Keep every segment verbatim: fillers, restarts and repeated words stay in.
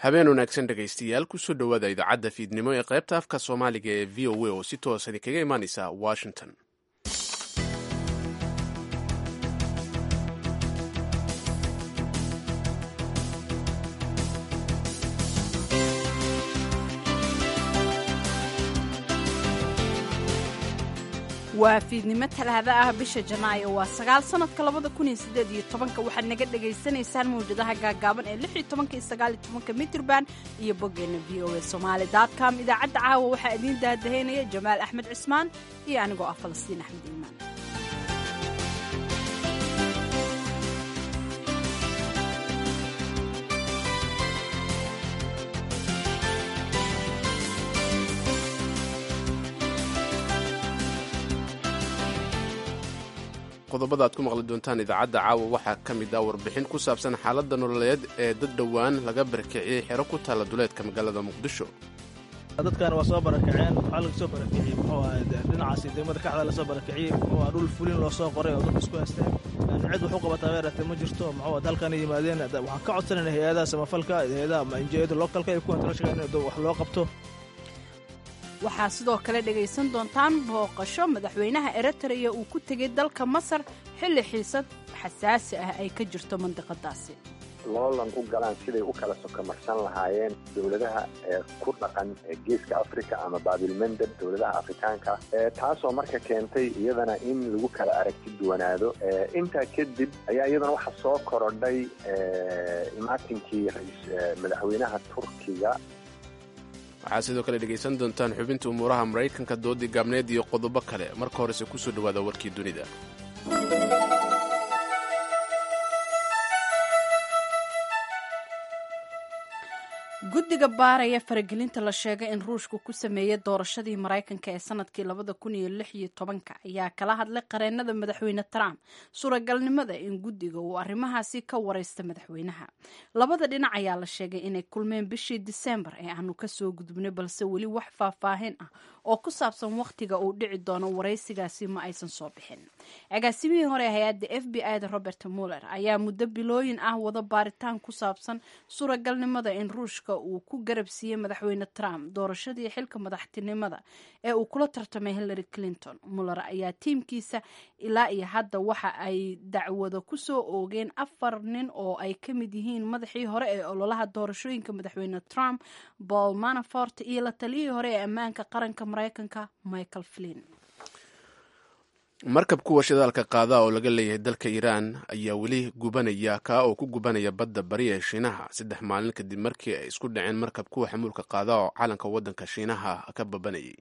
Habeen wanaagsan, dhegaystayaal. Kusoo dhowaada idaacadda fiidnimo ee qaybta afka Soomaaliga ee V O A oo si toosan idinkaga imaaneysa Washington. Waa fiidnimo Talaada ah, bisha Janaayo waa sagaal, sanadka labada kun iyo sideed iyo tobanka. Waxaad naga dhagaysanaysaan mawjadaha gaagaaban ee lix iyo tobanka iyo sagaal iyo tobanka mitirban iyo boggeena V O A Somali dot com. Idaacadda caawa waxaa idiin daadahaynaya Jamaal Axmed Cismaan iyo anigoo ah Falastiin Axmed Iimaan. Qodobada aad ku maqli doontaan idaacadda caawa waxaa ka mid ah warbixin ku saabsan xaaladda nololeed ee dad dhowaan laga barakiciyey xero ku taalla duleedka magaalada Muqdisho. Dadkan waa soo barakaceen. Waxaa laga soo barakiciyey, muxuu ahay, dhinacaasi degmada Kaxda lasoo barakiciyey. Muxuu ahaa, dhul fulin loo soo qoray oo dadku isku haysteen. Cid wax u qabataa weerartay ma jirto. Muxuu halkan yimaadeen. Waxaan ka codsanayna hay-adaha samafalka, hay-adaha ama N G O-da localka iyo kuwa international, in wax loo qabto. Waxaa sidoo kale dhegaysan doontaan booqasho madaxweynaha Eritrea uu ku tegey dalka Masar xilli xiisad xasaasi ah ay ka jirto mandiqadaasi. Loolan u galaan siday u kala sokomarsan lahaayeen dowladaha ee ku dhaqan Geeska Africa ama Baabilmendeb, dowladaha Afrikaanka, taasoo marka keentay iyadana in lagu kala aragti duwanaado. Intaa kadib ayaa iyadana waxa soo korodhay imaatinkii madaxweynaha Turkiga. Waxaad sidoo kale dhegaysan doontaan xubinta umuuraha Maraykanka, doodii gaabneed iyo qodobo kale. Marka horese kusoo dhowaada warkii dunida. Guddiga baaraya faragelinta la sheegay in Ruushku ku sameeyey doorashadii Maraykanka ee sanadkii labada kun iyo lix iyo tobanka ayaa kala hadlay qareenada madaxweyne Trump suuragalnimada in guddiga uu arrimahaasi ka wareysta madaxweynaha. Labada dhinac ayaa la sheegay inay kulmeen bishii Disembar ee aanu kasoo gudubnay, balse weli wax faahfaahin ah oo ku saabsan wakhtiga uu dhici doono wareysigaasi ma aysan soo bixin. Agaasimihii hore hay-adda F B I da, Robert Mueller, ayaa muddo bilooyin ah wada baaritaan ku saabsan suuragalnimada in Ruushka uu ku garab siiyey madaxweyne Trump doorashadii xilka madaxtinimada ee uu kula tartamay Hillary Clinton. Mueller ayaa tiimkiisa ilaa iyo hadda waxa ay dacwado kusoo oogeen afar nin oo ay ka mid yihiin madaxii hore ee ololaha doorashooyinka madaxweyne Trump, Paul Manafort, iyo la taliyihii hore ee ammaanka qaranka Maraykanka, Michael Flynn. Markab kuwa shidaalka qaada oo laga leeyahay dalka Iiraan ayaa weli gubanaya, kaa oo ku gubanaya badda bari ee Shiinaha, saddex maalin kadib markii ay isku dhaceen markab kuwa xamuulka qaada oo calanka waddanka Shiinaha ka babanayay.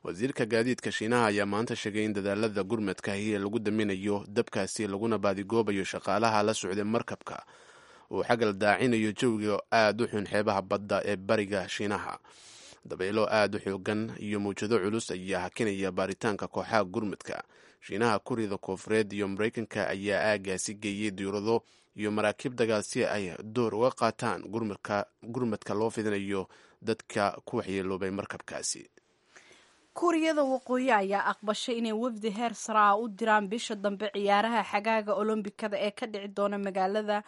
Wasiirka gaadiidka Shiinaha ayaa maanta sheegay in dadaalada gurmadkahi ee lagu daminayo dabkaasi laguna baadigoobayo shaqaalaha la socday markabka uu xagal daacinayo jawiga aada u xun xeebaha badda ee bariga Shiinaha. Dabaylo aada u xoogan iyo mawjado culus ayaa hakinaya baaritaanka kooxaha gurmadka. Shiinaha, Kuuriyada Koofureed iyo Maraykanka ayaa aagaasi geeyey diurado iyo maraakiib dagaal si ay door uga qaataan gurmadka loo fidinayo dadka ku waxyeeloobay markabkaasi. Kuuriyada Waqooyi ayaa aqbashay inay wafdi heer sare ah u diraan bisha dambe ciyaaraha xagaaga Olombikada ee ka dhici doona magaalada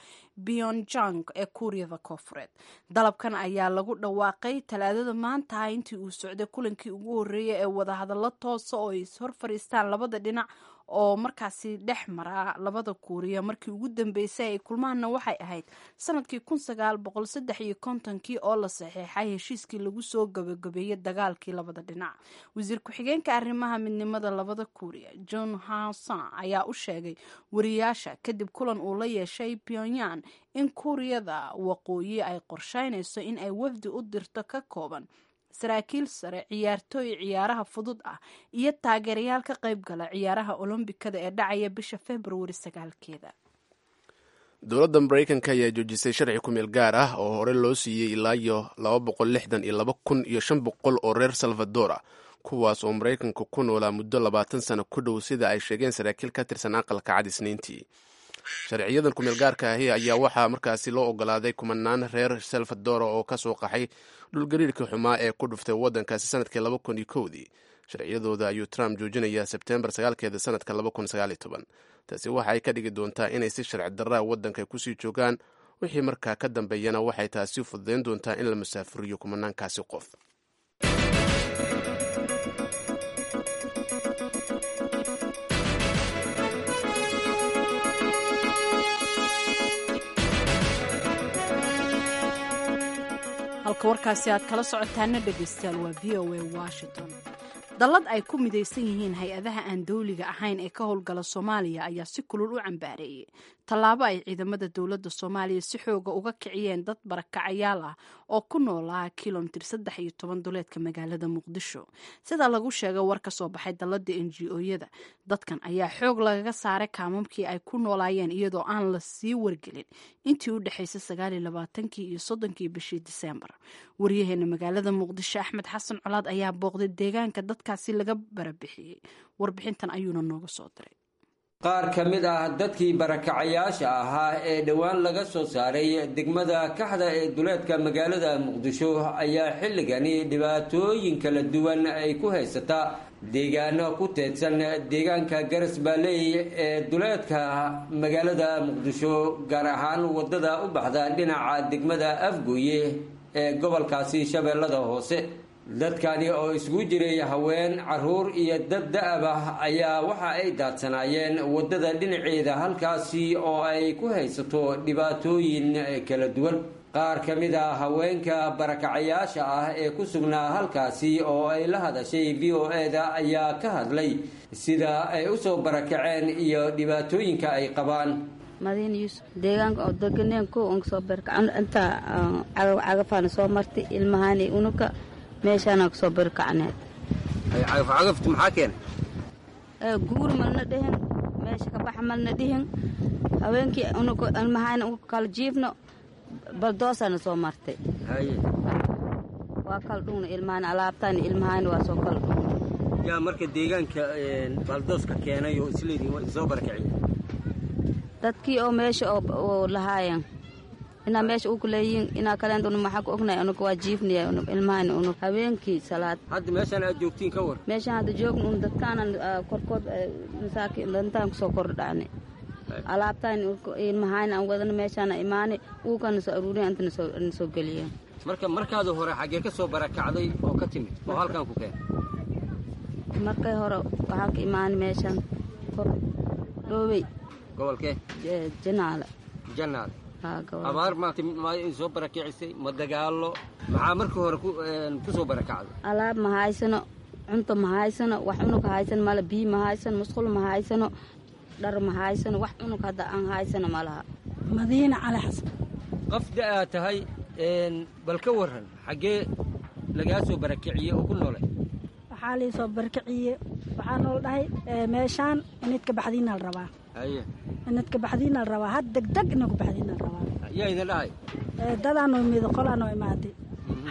Pyongyang ee Kuuriyada Koofureed. Dalabkan ayaa lagu dhawaaqay Talaadada maanta intii uu socday kulankii ugu horreeyay ee wadahadallo toosa oo ay ishor fadhiistaan labada dhinac oo markaasi dhex mara labada Kuuriya. Markii ugu dambeysay ay kulmaanna waxay ahayd sanadkii kun sagaal boqol saddex iyo kontonkii oo la saxeexay heshiiskii lagu soo gabagabeeyey dagaalkii labada dhinac. Wasiir ku-xigeenka arrimaha midnimada labada Kuuriya, John Hanson, ayaa u sheegay wariyaasha kadib kulan uu la yeeshay Pyongyang in Kuuriyada Waqooyi ay qorsheynayso in ay wafdi u dirto ka kooban saraakiil sare, ciyaartooy ciyaaraha fudud ah iyo taageerayaal ka qayb gala ciyaaraha Olombikada ee dhacaya bisha Februari sagaalkeeda. Dowladda Maraykanka ayaa joojisay sharci kumeel gaar ah oo hore loo siiyey ilaa iyo laba boqol lixdan iyo laba kun iyo shan boqol oo reer Salvadora, kuwaas oo Maraykanka ku noolaa muddo labaatan sano ku dhow, sida ay sheegeen saraakiil ka tirsan Aqalka Cad Isniintii. Sharciyadan kumeel gaarka ahi ayaa waxaa markaasi loo ogolaaday kumanaan reer Salvadora oo ka soo qaxay dhulgariirkii xumaa ee ku dhuftay waddankaasi sanadkii laba kun iyo kowdii. Sharciyadooda ayuu Trump joojinayaa Sebteembar sagaalkeeda sanadka laba kun sagaal iyo toban. Taasi waxa ay ka dhigi doontaa inay si sharci darraa waddanka kusii joogaan Wixii markaa ka dambeeyana waxay taasi fududayn doontaa in la masaafuriyo kumanaankaasi qof. Halka warkaasi aad kala socotaana, dhegaystayaal, waa V O A Washington. Dallad ay ku midaysan yihiin hay-adaha aan dowliga ahayn ee ka howlgala Soomaaliya ayaa si kulul u cambaareeyey tallaabo ay ciidamada dowladda Soomaaliya si xooga uga kiciyeen dad barakacayaal ah oo ku noolaa kilomitir saddex iyo toban duleedka magaalada Muqdisho. Sida lagu sheegay war ka soo baxay dalladda N G O-yada, dadkan ayaa xoog lagaga saaray kaamamkii ay ku noolaayeen, iyadoo aan la sii wargelin, intii u dhexaysay sagaal iyo labaatankii iyo soddonkii bishii Diseembar. Wariyaheena magaalada Muqdisho, Axmed Xasan Colaad, ayaa booqday deegaanka dadkaasi laga barabixiyey, warbixintan ayuuna nooga soo diray. Qaar ka mid ah dadkii barakacayaasha ahaa ee dhowaan laga soo saaray degmada Kaxda ee duleedka magaalada Muqdisho ayaa xilligani dhibaatooyin kala duwan ay ku haysataa deegaano ku teedsan deegaanka Garas Baaley ee duleedka magaalada Muqdisho, gaar ahaan wadada u baxda dhinaca degmada Afgooye ee gobolkaasi Shabeellada Hoose. Dadkani oo isugu jiray haween, caruur iyo dad da-ab ah ayaa waxa ay daadsanaayeen waddada dhinaceeda, halkaasi oo ay ku haysato dhibaatooyin kala duwan. Qaar ka mid a haweenka barakacayaasha ah ee ku sugnaa halkaasi oo ay la hadashay V O E-da ayaa ka hadlay sida ay usoo barakaceen iyo dhibaatooyinka ay qabaan. Madiina Yuusuf, deegaanka oo deganeen ko on kasoo barakacno, intaa cagaf cagafaana soo martay, ilmahaani unuka meeshaanaan kasoo barakacneed. Cagafcagaftu maxaa keenay? Guur malna dhihin, meesha ka baxa malna dhihin. Haweenkii unuka ilmahaani unuka kala jiifno, baldoosaana soo martay, waa kala dhugna ilmahaani, alaabtaani ilmahaani waa soo kala dhugna. Yaa marka deegaanka baldooska keenay oo isleediin waa soo barakiciye? Dadkii oo meesha oo lahaayeen inaa meesha uku leeyihiin inaa kaleent unu maxaa ku ognahay, unuka waa jiifnaya ilmahani unug habeenkii salaad. Hadda meeshaan aad joogtiin ka war. Meeshaan hadda joogna un dadkaanan korkood masaakiin dantaan kusoo kordhacnay, alaabtaan ilmahaani aan wadana meeshaana imaanay, uukana soo aruuriya, intana soo soo geliyeen. Marka markaada hore xaggee ka soo barakacday oo ka timid oo halkan ku keenay? Markay hore waxaa ka imaanay meeshaan kor Dhoobey. Gobolkee? Janaale. Janaale. Abaar ma soo barakicisay ma dagaalo? Maxaa markii hore ku soo barakacday? Alaab ma haysano, cunto ma haysano, wax cunug haysano male, biyo ma haysano, musqul ma haysano, dhar ma haysano, wax cunug hadda aan haysano ma laha. Madiina Cali Xasan. Qof da-aa tahay, bal ka waran xaggee lagaa soo barakiciyey oo ku noolay? Waxaa lii soo barakiciye, waxaa nool dhahay meeshaan inid ka baxdiina la rabaa, inid ka baxdiina la rabaa, had degdeg ina ku baxdiina la rabaa. Yaa idin dhahay? Dadaanoo imid, qolaanoo imaaday,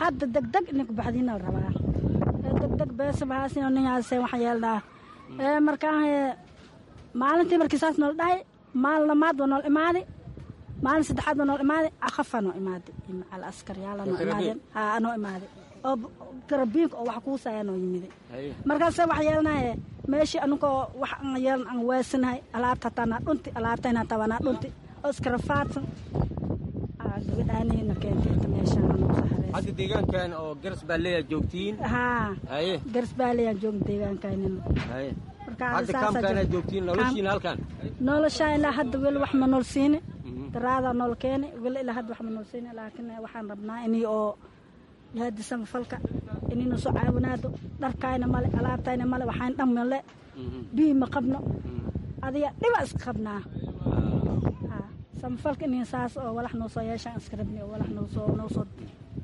hadda degdeg ina ku baxdiina la rabaa, degdeg beesa maxaasino ninhaase waxaan yeelnaa. Markaan maalintii markii saas nool dhahay, maalin lamaad waa nool imaaday, maalin saddexaad waa nool imaaday, caqafaa noo imaaday, macal askaryaala noo imaadeen, haa noo imaaday oo garabiinka oo wax kuusaya noo yimiday. Markaase wax yeelnaye meeshii anugoo wax aan yeelan aan weesanahay, alaabta hataa naa dhunti, alaabtayna hataa waa naa dhunti oo iskarafaadsan gabadhaanayna keentay inta meeshaan anuu saxareys. Hadda deegaankan oo Garas Baaleeyaa joogtiin? Haa, Garas Baaleeyaan joogna deegaankaynina. Haye, hadda kaamkaanaa joogtiin, noloshiina halkan? Noloshaa ilaa hadda weli wax ma nool siini, daraadaa nool keeni, weli ilaa hadda wax ma nool siini, laakiin waxaan rabnaa inii oo yaadi samafalka inayna soo caawinaado. Dharkaayna male, alaabtayna male, waxaan dhan male, biyi ma qabno, adiga dhiba iska qabnaa. Samafalka inay saas oo walax noo soo yeeshaan iska rabni oo walax noo soo noo soo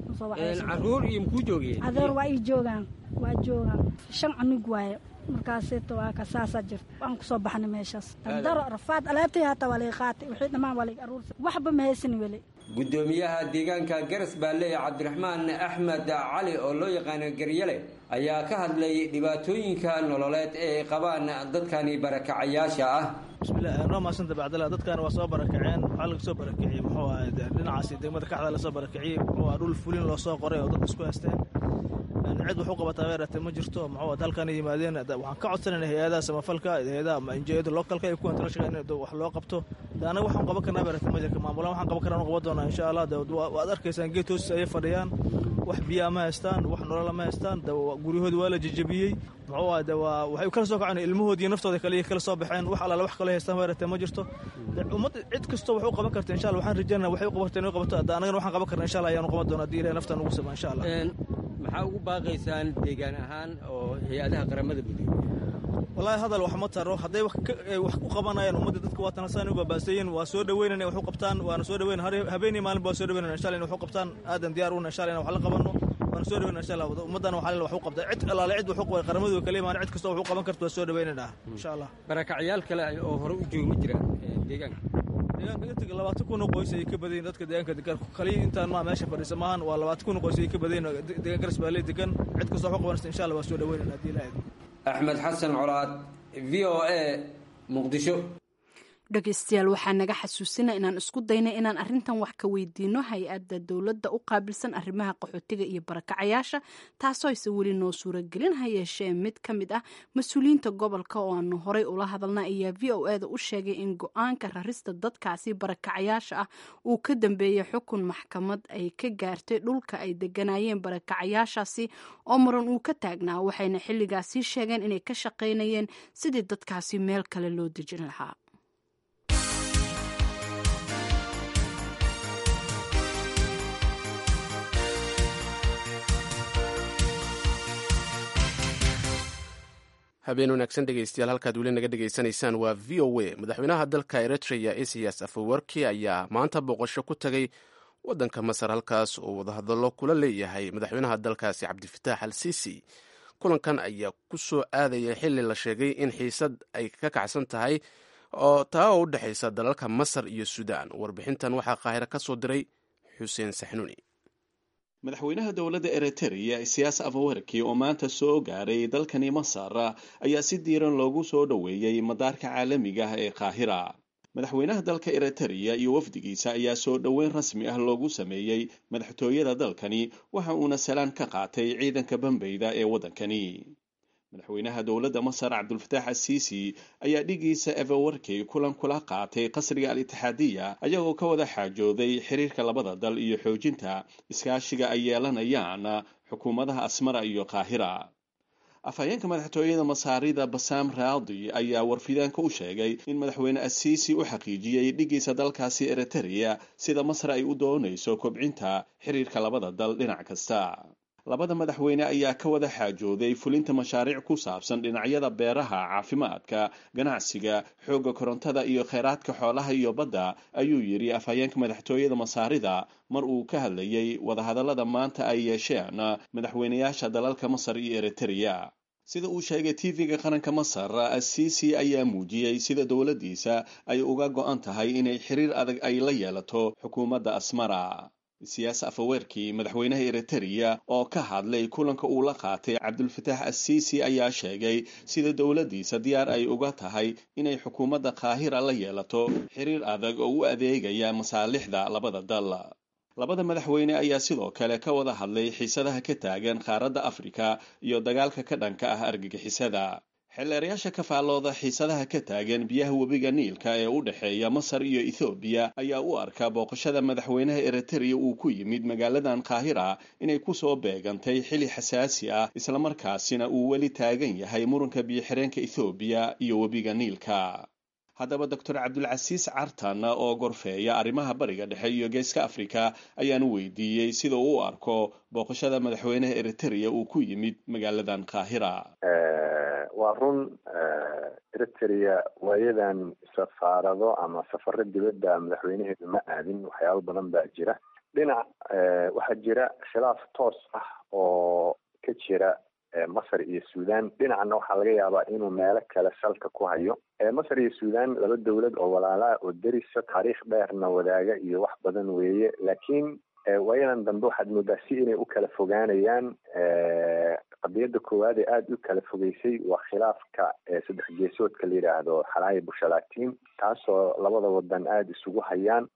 noo soo waxaysan. Caruur iyo makuu joogeen? Adeer, waa ii joogaan, waa joogaan, shan cunug waaye. Markaaseeto waa ka saasaa jirta, waan kusoo baxnay meeshaas dardaro rafaad, alaabtay hataa waa laga qaatay, wixii dhammaan waa laga aruursa, waxba ma haysan weli. Guddoomiyaha deegaanka Garas Baaleey, Cabdiraxmaan Axmed Cali oo loo yaqaano Garyale, ayaa ka hadlay dhibaatooyinka nololeed ee ay qabaan dadkani barakacayaasha ah. Bismillah, noo mahadsanta bacdala. Dadkan waa soo barakaceen, waxaa laga soo barakiciyey muxuu ahay dhinacaasi degmada Kaxda lasoo barakiciyey, muxuu aha dhul fulin loo soo qoray oo dadka isku haysteen, cid wax u qabataa beeratee ma jirto. Muxuu halkan yimaadeen, waxaan ka codsanayna hay-adaha samafalka, hay-adaha ama N G O-da localka iyo kuwa international in wax loo qabto. De anaga waxaan qaban karnaa beerata majarka maamulaan waxaan qaban karnaa qaban doonaa insha Allah. De waad arkaysaan geed hoostiisa ayay fadhiyaan, wax biyaa ma haystaan, wax nolola ma haystaan. De guryahoodi waa la jejebiyey. Muxuu ahay, de waa waxay kala soo kaceen ilmahoodii naftooda kaliya kala soo baxeen. Wax allaale wax kale haystaan beerata ma jirto. Ummad cid kastoo wax u qaban karta insha Allah waxaan rajaynaa waxay u qaban karta inay qabato. Hadda anagana waxaan qaban karna insha Allah ayaanu qaban doonaa haddii Ilahay nafta nugu sama insha Allah. Maxaa ugu baaqaysaan deegaan ahaan oo hay-adaha qaramada midoobey? Wallaahi hadal wax ma taro. Hadday wax ku qabanayaan ummadda, dadka waa tanasaan u baabaasayin, waa soo dhaweynana wax u qabtaan, waana soo dhaweyn habeenii maalin waa soo dhaweynana insha Allah in wax u qabtaan. Aadan diyaar una insha Allah in wax la qabanno, waana soo dhaweynana insha Allah. Ummaddana waxaa wax u qabta cid allaale cid wax u qaban qaramadu kale imaan, cid kastoo wax u qaban karto waa soo dhaweynana insha Allah. Barakacyaal kale oo hore u joogi ma jiraan deegaanka? Deegaanka inta labaatan kun oo qoys ayay ka badayin dadka deegaanka degan. Kaliya intaan maa meesha fadhiisa maahan, waa labaatan kun oo qoys ayay ka badayin deegaan Garas Baaley degan. Cid kastoo wax u qabanaysa insha Allah waa soo dhaweynana haddii Ilaahay. Axmed Xasan Colaad, V O A, Muqdisho. Dhegeystayaal, waxaa naga xasuusina inaan isku daynay inaan arrintan wax ka weydiino hay-adda dowladda u qaabilsan arrimaha qaxootiga iyo barakacayaasha, taasoo aysan weli noo suuragelin. Ha yeeshee mid ka mid ah mas-uuliyiinta gobolka oo aanu horey ula hadalna ayaa V O E da u sheegay in go-aanka rarista dadkaasi barakacayaasha ah uu ka dambeeyey xukun maxkamad ay ka gaartay dhulka ay deganayeen barakacayaashaasi oo muran uu ka taagnaa, waxayna xilligaasi sheegeen inay ka shaqaynayeen sidii dadkaasi meel kale loo dejin lahaa. Habeen wanaagsan dhegeystayaal, halkaad weli naga dhegeysanaysaan waa V O A. Madaxweynaha dalka Eritrea Isaias Afewerki ayaa maanta booqasho ku tagay waddanka Masar, halkaas oo wadahadallo kula leeyahay madaxweynaha dalkaasi Cabdifitaax al Sisi. Kulankan ayaa ku soo aadaya xilli la sheegay in xiisad ay ka kacsan tahay oo taa oo u dhexaysa dalalka Masar iyo Suudaan. Warbixintan waxaa Qaahiro ka soo diray Xuseen Saxnuuni. Madaxweynaha dowladda Eritrea Isiyaas Afwerki oo maanta soo gaaray dalkani Masar ayaa si diiran loogu soo dhoweeyey madaarka caalamiga ah ee Qaahira. Madaxweynaha dalka Eritrea iyo wafdigiisa ayaa soo dhoweyn rasmi ah loogu sameeyey madaxtooyada dalkani, waxa uuna salaan ka qaatay ciidanka bambeyda ee waddankani. Madaxweynaha dowladda Masar Cabdulfataax Asiisi ayaa dhigiisa Afwerki kulan kula qaatay qasriga Al-Itixaadiya, ayagoo ka wada xaajooday xiriirka labada dal iyo xoojinta iskaashiga ay yeelanayaan xukuumadaha Asmara iyo Qaahira. Afhayeenka madaxtooyada Masaarida Basaam Raadi ayaa warfidaanka u sheegay in madaxweyne Asiisi u xaqiijiyey dhigiisa dalkaasi Eritrea sida Masar ay u doonayso kobcinta xiriirka labada dal dhinac kasta. Labada madaxweyne ayaa ka wada xaajooday fulinta mashaariic ku saabsan dhinacyada beeraha, caafimaadka, ganacsiga, xoogga korontada iyo kheyraadka xoolaha iyo badda, ayuu yidhi afhayeenka madaxtooyada Masaarida mar uu ka hadlayey wadahadallada maanta ay yeesheen madaxweynayaasha dalalka Masar iyo Eritrea. Sida uu sheegay T V-ga qaranka Masar, Asiisi ayaa muujiyey sida dowladdiisa ay uga go'an tahay inay xiriir adag ay la yeelato xukuumadda Asmara. Siyaas Afaweerki, madaxweynaha Eritrea oo ka hadlay kulanka uu la qaatay Cabdulfataax Asiisi, ayaa sheegay sida dowladdiisa diyaar ay uga tahay inay xukuumadda Qaahira la yeelato xiriir adag oo u adeegaya masaalixda labada dal. Labada madaxweyne ayaa sidoo kale ka wada hadlay xiisadaha ka taagan qaaradda Afrika iyo dagaalka ka dhanka ah argagixisada. Xeelleerayaasha ka faallooda xiisadaha ka taagan biyaha webiga Niilka ee u dhexeeya Masar iyo Ethoobiya ayaa u arka booqashada madaxweynaha Eritrea uu ku yimid magaaladan Qaahira inay ku soo beegantay xili xasaasi ah, islamarkaasina uu weli taagan yahay muranka biyo-xireenka Ethoobiya iyo webiga Niilka. Haddaba Doctor Cabdulcasiis Cartan oo gorfeeya arrimaha Bariga Dhexe iyo Geeska Afrika ayaan weydiiyey sida uu u arko booqashada madaxweynaha Eritrea uu ku yimid magaaladan Qaahira. Waa run, Eritrea waayadan safaarado ama safaro dibadda madaxweynaheedu ma aadin. Waxyaabo badan baa jira. Dhinac waxaa jira khilaaf toos ah oo ka jira Masar iyo Suudan, dhinacna waxaa laga yaabaa inuu meelo kale salka ku hayo. Masar iyo Suudan laba dowlad oo walaalaa oo derisa, taariikh dheerna wadaaga iyo wax badan weeye, laakiin waayadan dambe waxaad moodaa si inay u kala fogaanayaan. Qadiyadda koowaad ee aada u kala fogeysay waa khilaafka saddex geesoodka la yidhaahdo Xalaaya Bushalatiin. taasoo labada wadan aada isugu hayaan.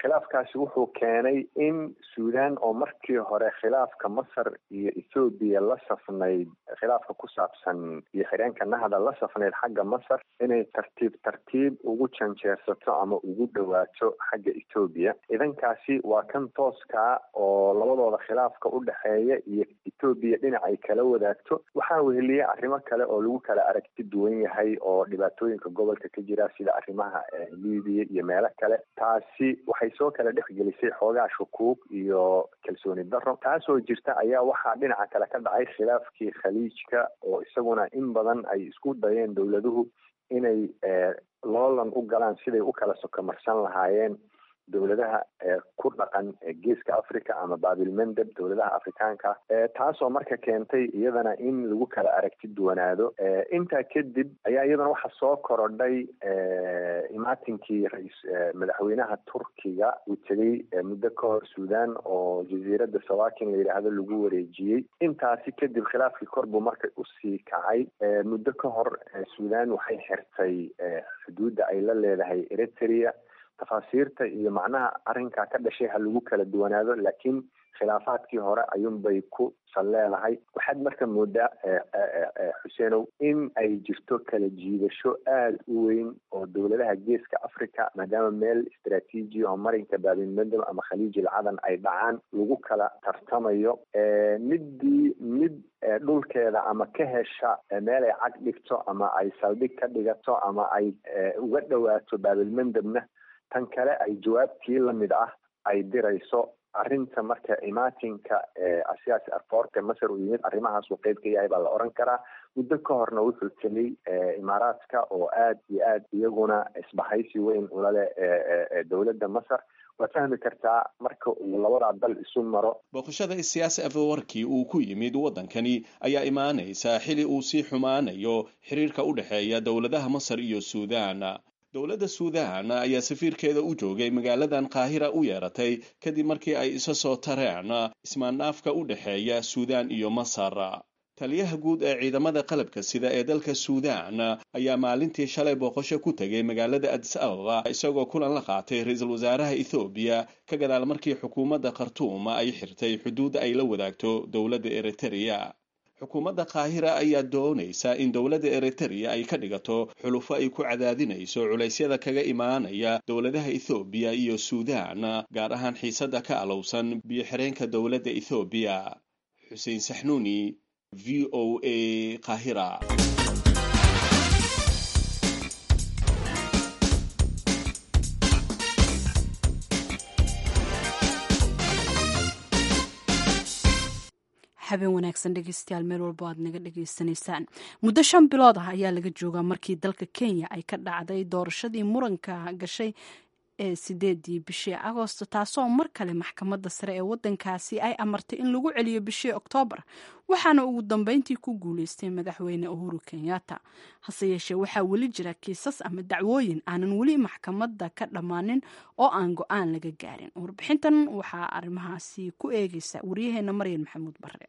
Khilaafkaasi wuxuu keenay in Suudaan oo markii hore khilaafka Masar iyo Ethoobiya la safnayd, khilaafka ku saabsan iyo xireenka Nahda la safnayd xagga Masar, inay tartiib tartiib ugu janjeersato ama ugu dhawaato xagga Ethoobiya. Idankaasi waa kan tooskaa oo labadooda khilaafka u dhexeeya iyo Ethoobiya dhinac ay kala wadaagto. Waxaa weheliya arrimo kale oo lagu kala aragti duwan yahay oo dhibaatooyinka gobolka ka jira, sida arrimaha Libiya iyo meelo kale. Taasi waxay soo kala dhexgelisay xoogaa shukuug iyo kalsooni darro. Taasoo jirta ayaa waxaa dhinaca kale ka dhacay khilaafkii Khaliijka, oo isaguna in badan ay isku dayeen dowladuhu inay loolan u galaan siday u kala sokomarsan lahaayeen dowladaha ku dhaqan Geeska Africa ama Baabilmandeb, dowladaha Afrikaanka, taasoo marka keentay iyadana in lagu kala aragti duwanaado. Intaa kadib ayaa iyadana waxaa soo korodhay imaatinkii rais madaxweynaha Turkiga uu tegey muddo ka hor Suudaan, oo jasiiradda Sawakin la yidhaahdo lagu wareejiyey. Intaasi kadib khilaafkii kor buu marka usii kacay. Muddo ka hor Suudaan waxay xirtay xuduudda ay la leedahay Eritrea. Tafaasiirta iyo macnaha arrinkaa ka dhashay ha lagu kala duwanaado, laakiin khilaafaadkii hore ayuunbay ku sal leedahay. Waxaad marka moodaa, Xuseenow, in ay jirto kala jiidasho aada u weyn oo dowladaha Geeska Africa, maadaama meel istraatiiji oo marinka Baabilmandab ama Khaliijil Cadan ay dhacaan, lagu kala tartamayo. Middii mid dhulkeeda ama ka hesha meel ay cag dhigto ama ay saldhig ka dhigato ama ay uga dhawaato Baabilmandabna, tan kale ay jawaabtii lamid ah ay dirayso. Arrinta marka imaatinka Asiyaasi Aforka Masar uu yimid arrimahaasuu qeyb ka yahay baa la oran karaa. Muddo ka horna wuxuu tegey Imaaraadka oo aada iyo aad iyaguna isbahaysi weyn ula leh dowladda Masar. Waad fahmi kartaa marka uu labadaa dal isu maro. Booqashada Siyaasi Afawarki uu ku yimid waddankani ayaa imaanaysa xili uu sii xumaanayo xiriirka u dhexeeya dowladaha Masar iyo Suudaan. Dowladda Suudaan ayaa safiirkeeda u joogay magaaladan Qaahira u yeeratay kadib markii ay isa soo tareen ismaandhaafka u dhexeeya Suudaan iyo Masar. Taliyaha guud ee ciidamada qalabka sida ee dalka Suudaan ayaa maalintii shalay booqasho ku tegay magaalada Addis Ababa, isagoo kulan la qaatay ra-iisul wasaaraha Ethoobiya ka gadaal markii xukuumadda Khartuum ay xirtay xuduudda ay la wadaagto dowladda Eritrea. Xukuumadda Qaahira ayaa doonaysa in dowladda Eritrea ay ka dhigato xulufo ay ku cadaadinayso culaysyada kaga imaanaya dowladaha Ethoobiya iyo Suudaan, gaar ahaan xiisadda ka alowsan biyo-xireenka dowladda Ethoobiya. Xuseen Saxnuuni, V O A, Qaahira. Habeen wanaagsan dhegeystayaal, meel walbo aad naga dhegeysanaysaan. Muddo shan bilood ah ayaa laga joogaa markii dalka Kenya ay ka dhacday doorashadii muranka gashay ee sideedii bishii Agoosto, taasoo mar kale maxkamadda sare ee wadankaasi ay amartay in lagu celiyo bishii Oktoobar, waxaana ugu dambeyntii ku guuleystay madaxweyne Uhuru Kenyatta. Hase yeeshee waxaa weli jira kiisas ama dacwooyin aanan weli maxkamadda ka dhammaanin oo aan go-aan laga gaarin. Warbixintan waxaa arrimahaasi ku eegeysa waryaheena Maryan Maxamuud Barre.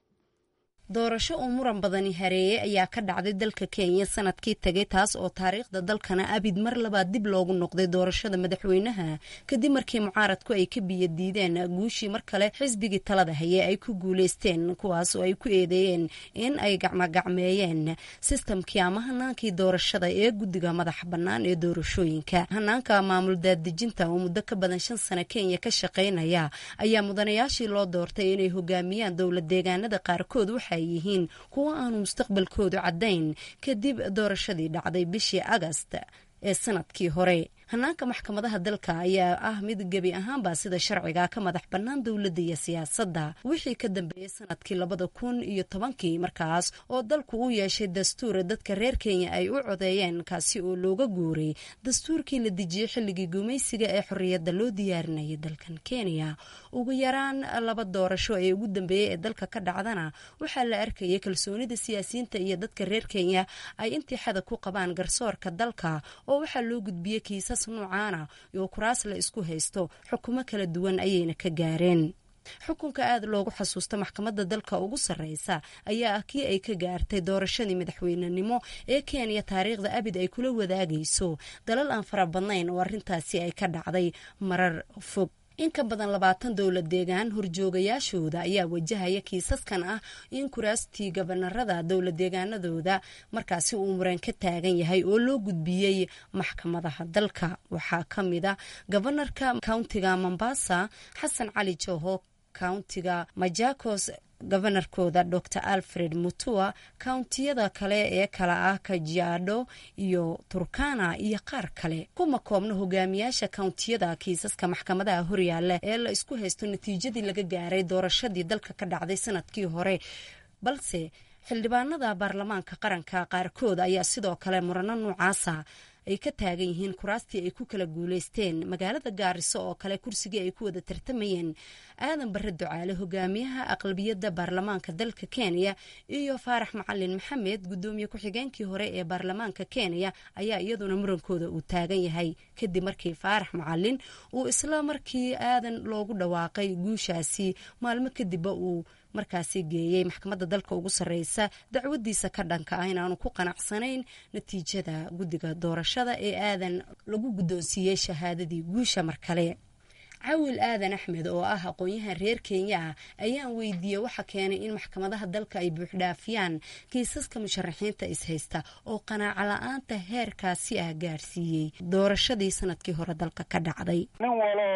Doorasho uu muran badani hareeyey ayaa ka dhacday dalka Kenya sanadkii tagay, taas oo taariikhda dalkana abid mar labaad dib loogu noqday doorashada madaxweynaha, kadib markii mucaaradku ay ka biyo diideen guushii mar kale xisbigii talada haye ay ku guuleysteen, kuwaas oo ay ku eedeeyeen in ay gacmogacmeeyeen sistamkii ama hanaankii doorashada ee guddiga madaxa bannaan ee doorashooyinka. Hanaanka maamul daadejinta oo muddo ka badan shan sano Kenya ka shaqaynaya ayaa mudanayaashii loo doortay inay hogaamiyaan dowlad deegaanada qaarkood waxa yihiin kuwa aanu mustaqbalkoodu caddayn kadib doorashadii dhacday bishii Agast ee sanadkii hore. Hanaanka maxkamadaha dalka ayaa ah mid gebi ahaanba sida sharciga ka madax bannaan dowladda iyo siyaasadda wixii ka dambeeyey sanadkii labada kun iyo tobankii, markaas oo dalku u yeeshay dastuur dadka reer Kenya ay u codeeyeen, kaasi oo looga guuray dastuurkii la dejiyey xilligii gumaysiga ee xorriyadda loo diyaarinayay dalkan Kenya. Ugu yaraan laba doorasho ee ugu dambeeyey ee dalka ka dhacdana waxaa la arkayay kalsoonida siyaasiyiinta iyo dadka reer Kenya ay intii xada ku qabaan garsoorka dalka, oo waxaa loo gudbiyey kiisas nuucaana oo kuraas la isku haysto, xukumo kala duwan ayayna ka gaareen. Xukunka aada loogu xasuusta maxkamadda dalka ugu sarreysa ayaa ah kii ay ka gaartay doorashadii madaxweynenimo ee Kenya taariikhda abid ay kula wadaagayso dalal aan fara badnayn oo arrintaasi ay ka dhacday marar fog. In ka badan labaatan dowlad deegaan horjoogayaashooda ayaa wajahaya kiisaskan ah in kuraastii gabanarada dowlad deegaanadooda markaasi uu muran ka taagan yahay oo loo gudbiyey maxkamadaha dalka. Waxaa ka mid a gabanarka countiga Mombasa Xasan Cali Joho, countiga Majakos gabanarkooda Doctor Alfred Mutua, countiyada kale ee kala ah Kajiado iyo Turkana iyo qaar kale. Kuma koobna hogaamiyaasha countiyada kiisaska maxkamadaha horyaala ee la isku haysto natiijadii laga gaaray doorashadii dalka ka dhacday sanadkii hore, balse xildhibaanada baarlamaanka qaranka qaarkood ayaa sidoo kale murano noocaasa ay ka taagan yihiin kuraastii ay ku kala guuleysteen. Magaalada Gaariso oo kale kursigii ay ku wada tartamayeen Aadan Barre Ducaale, hogaamiyaha aqlabiyadda baarlamaanka dalka Kenya, iyo Faarax Macalin Maxamed, gudoomiye ku-xigeenkii hore ee baarlamaanka Kenya, ayaa iyaduna murankooda uu taagan yahay kadib markii Faarax Macalin uu isla markii Aadan loogu dhawaaqay guushaasi maalmo kadibba uu markaasi geeyey maxkamadda dalka ugu sarreysa dacwadiisa ka dhanka ah inaanu ku qanacsanayn natiijada guddiga doorashada ee Aadan lagu guddoonsiiyey shahaadadii guusha. Mar kale Cawil Aadan Axmed oo ah aqoon-yahan reer Kenya ah ayaan weydiiyey waxa keenay in maxkamadaha dalka ay buuxdhaafiyaan kiisaska musharaxiinta ishaysta oo qanaaco la-aanta heerkaasi ah gaarsiiyey doorashadii sanadkii hore dalka ka dhacday. Nin walo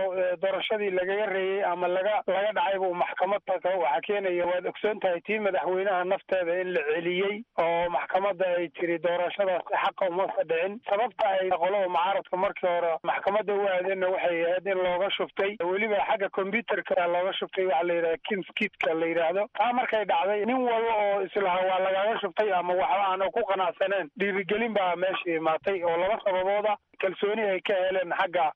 doorashadii lagaga reeyey ama laga laga dhacay buu maxkamad taga. Waxaa keenaya, waad ogsoon tahay, tii madaxweynaha nafteeda in la celiyey oo maxkamadda ay tiri doorashadaasi xaqa uma fadhicin. Sababta ay qolada mucaaradka markii hore maxkamadda u aadeenna waxay ahayd in looga shubtay, weliba xagga combyuterka looga shubtay, waxa la yidhahda kimskitka la yidhaahdo. Taa markay dhacday, nin walba oo islaha waa lagaga shubtay ama waxba aan ku qanacsaneen, dhiirigelin baa meesha imaatay oo laba sababooda: kalsooni ay ka heleen xagga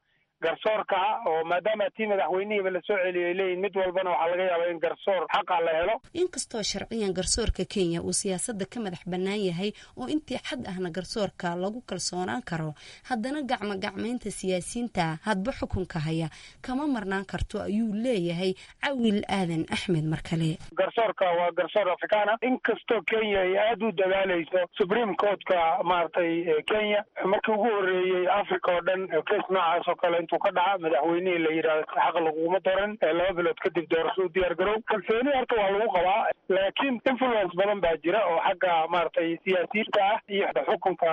garsoorka oo maadaama tii madaxweynihiiba lasoo celiyay leeyihin mid walbana waxaa laga yaabaa in garsoor xaqa la helo. Inkastoo sharciyan garsoorka Kenya uu siyaasadda ka madax bannaan yahay oo intii xad ahna garsoorka lagu kalsoonaan karo, haddana gacmo gacmaynta siyaasiyiinta hadba xukunka haya kama marnaan karto, ayuu leeyahay Cawil Aadan Axmed mar kale. Garsoorka waa garsoor Afrikaana. Inkastoo Kenya ay aada u dadaalayso, Supreme Courtka maaragtay Kenya markii ugu horreeyey Africa oo dhan case noocaas oo kale intuu ka dhaca madaxweynihii la yidhahdo xaq laguma doran, laba bilood kadib doorasho u diyaar garow. Kalsooni horta waa lagu qabaa, laakiin influence badan baa jira oo xagga maaragtay siyaasiyiinta ah iyo xukunka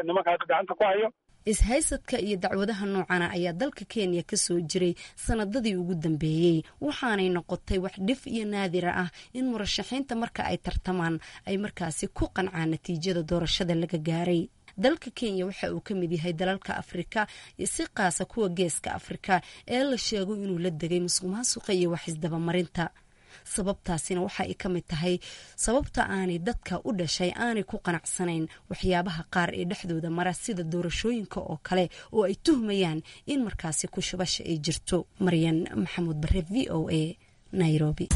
nimanka hadda gacanta ku hayo. Ishaysadka iyo dacwadaha noocana ayaa dalka Kenya ka soo jiray sanadadii ugu dambeeyey, waxaanay noqotay wax dhif iyo naadira ah in murashaxiinta marka ay tartamaan ay markaasi ku qancaan natiijada doorashada laga gaaray. Dalka Kenya waxa uu ka mid yahay dalalka Afrika, si qaasa kuwa geeska Afrika, ee la sheego inuu la degay musuqmaasuqa iyo wax isdabamarinta. Sababtaasina waxa ay ka mid tahay sababta aanay dadka u dhashay aanay ku qanacsanayn waxyaabaha qaar ee dhexdooda mara, sida doorashooyinka oo kale oo ay tuhmayaan in markaasi ku shubasha ay jirto. Maryan Maxamuud Bare, V O A, Nairobi.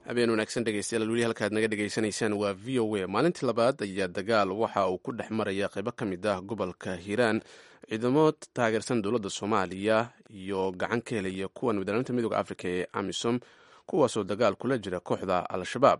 Habeen wanaagsan dhegeystayaal, weli halkaad naga dhegeysanaysaan waa V O A. Maalintii labaad ayaa dagaal waxa uu ku dhex maraya qaybo ka mid ah gobolka Hiiraan ciidamo taageersan dowladda Soomaaliya iyo gacan ka helaya kuwan midnimada midooda Afrika ee AMISOM, kuwaasoo dagaal kula jira kooxda Al-Shabaab.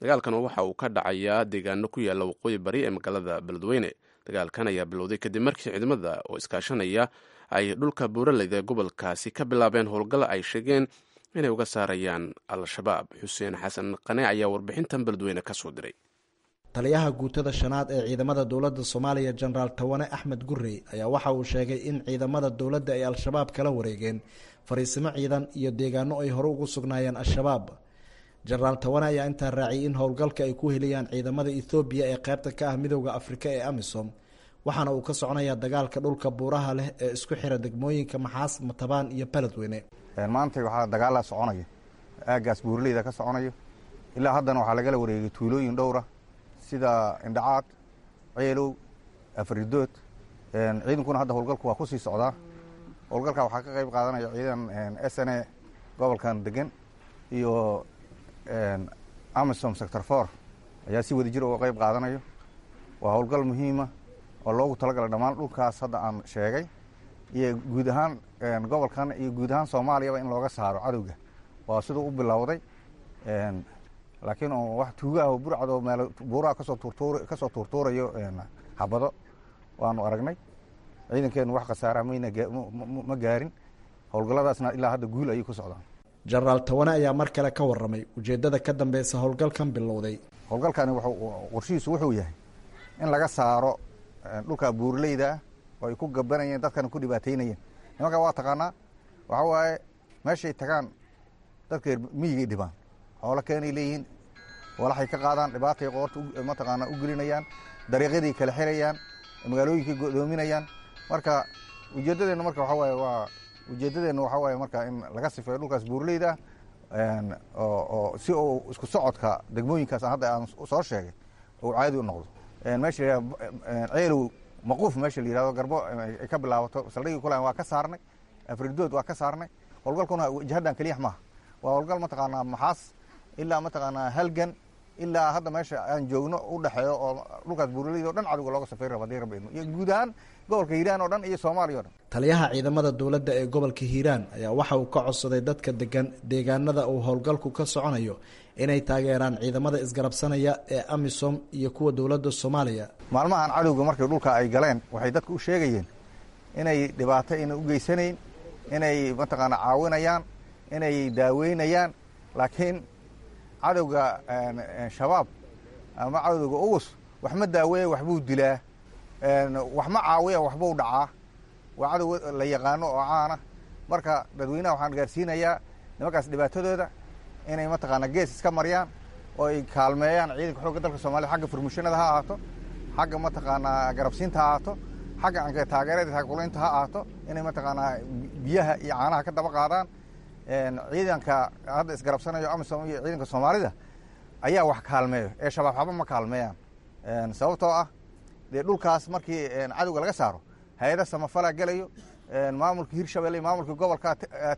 Dagaalkan waxa uu ka dhacayaa deegaano ku yaala waqooyi bari ee magaalada Beledweyne. Dagaalkan ayaa bilowday kadib markii ciidamada oo iskaashanaya ay dhulka buuraleyda ee gobolkaasi ka bilaabeen howlgal ay sheegeen inay uga saarayaan Al-Shabaab. Xuseen Xasan Qane ayaa warbixintan Beledweyne ka soo diray. Taliyaha guutada shanaad ee ciidamada dowladda Soomaaliya, Jenaraal Tawane Axmed Gurey, ayaa waxa uu sheegay in ciidamada dowladda ay Al-Shabaab kala wareegeen fariisimo ciidan iyo deegaano ay hore ugu sugnaayeen Al-Shabaab. Jenaraal Tawane ayaa intaa raaciyay in howlgalka ay ku heliyaan ciidamada Ethoobiya ee qaybta ka ah midowda Afrika ee AMISOM, waxaana uu ka soconayaa dagaalka dhulka buuraha leh ee isku xira degmooyinka Maxaas, Matabaan iyo Beledweyne. Maanta waxaa dagaalaa soconaya aaggaas buuraleyda ka soconayo. Ilaa haddana waxaa lagala wareegay tuulooyin dhowra sida Indhacaad, Ceelow, Afridood. Ciidankuna hadda howlgalku waa ku sii socdaa. Howlgalka waxaa ka qayb qaadanaya ciidan S N A gobolkan degan iyo AMISOM sector four ayaa si wadajir uga qayb qaadanayo. Waa howlgal muhiima oo loogu talagalay dhammaan dhulkaas hadda aan sheegay iyo guud ahaan gobolkan iyo guud ahaan Soomaaliyaba in looga saaro cadowga. Waa siduu u bilowday, laakiin wax tuuga ah oo burcad oo meel buuraha kasoo tuurtuur kasoo tuurtuurayo xabado waanu aragnay. Ciidankeenu wax khasaara mayna ma gaarin, howlgalladaasna ilaa hadda guul ayay ku socdaan. Jenaraal Tawane ayaa mar kale ka warramay ujeeddada ka dambeysa howlgalkan bilowday. Howlgalkani wuxuu qorshihiisu wuxuu yahay in laga saaro dhulka buurleyda ah oo ay ku gabanayeen dadkana ku dhibaateynayeen. Nimanka waa taqaanaa, waxaa waaye meeshay tagaan dadka miyigay dhibaan, xoolo keenay leeyihiin, walaxay ka qaadaan, dhibaatay qoorta mataqaanaa u gelinayaan, dariiqyaday kala xirayaan, magaalooyinkay go'doominayaan. Marka ujeeddadeennu marka waxaa waaye waa ujeeddadeennu waxaa waaye marka in laga sifeeyo dhulkaas buurleyda ah oo oo si uu isku socodka degmooyinkaas hadda aan soo sheegay uu caadi u noqdo. Meesha la yidhahdo Ceelow Maquuf, meesha la yidhahdo Garbo ay ka bilaabato saldhigii kulan waa ka saarnay, Afridood waa ka saarnay. Howlgalkuna jihaddan keliya maaha, waa howlgal mataqaanaa Maxaas ilaa mataqaanaa Halgan ilaa hadda meesha aan joogno u dhexeeyo oo dhulkaas buuraleyda o dhan cadowga looga safeyn rabo haddii rabbi idmo, iyo guud ahaan gobolka Hiiraan oo dhan iyo Soomaaliya o dhan. Taliyaha ciidamada dowladda ee gobolka Hiiraan ayaa waxa uu ka codsaday dadka degan deegaanada uu howlgalku ka soconayo inay taageeraan ciidamada isgarabsanaya ee AMISOM iyo kuwa dowladda Soomaaliya. Maalmahan cadowga markay dhulka ay galeen waxay dadka u sheegayeen inay dhibaato ayna u geysanayn, inay mataqaana caawinayaan, inay daaweynayaan, laakiin cadowga Shabaab ama cadowga Ugus wax ma daaweeya, waxbuu dilaa, wax ma caawiya, waxbuu dhacaa. Waa cadow la yaqaano oo caana. Marka dadweynaha waxaan gaarsiinayaa nimankaas dhibaatadooda inay mataqaana gees iska mariyaan oo ay kaalmeeyaan ciidanka xoogga dalka Soomaaliya, xagga furmushinada ha ahaato, xagga mataqaanaa garabsiinta ha ahaato, xagga anka taageerada taakulaynta ha ahaato, inay mataqaanaa biyaha iyo caanaha ka daba qaadaan. Ciidanka hadda isgarabsanayo AMISOM iyo ciidanka Soomaalida ayaa wax kaalmeeyo ee Shabaab xaba ma kaalmeeyaan, sababtoo ah dee dhulkaas markii cadowga laga saaro hay-ada samafalaa gelayo, maamulka Hirshabelle iyo maamulka gobolka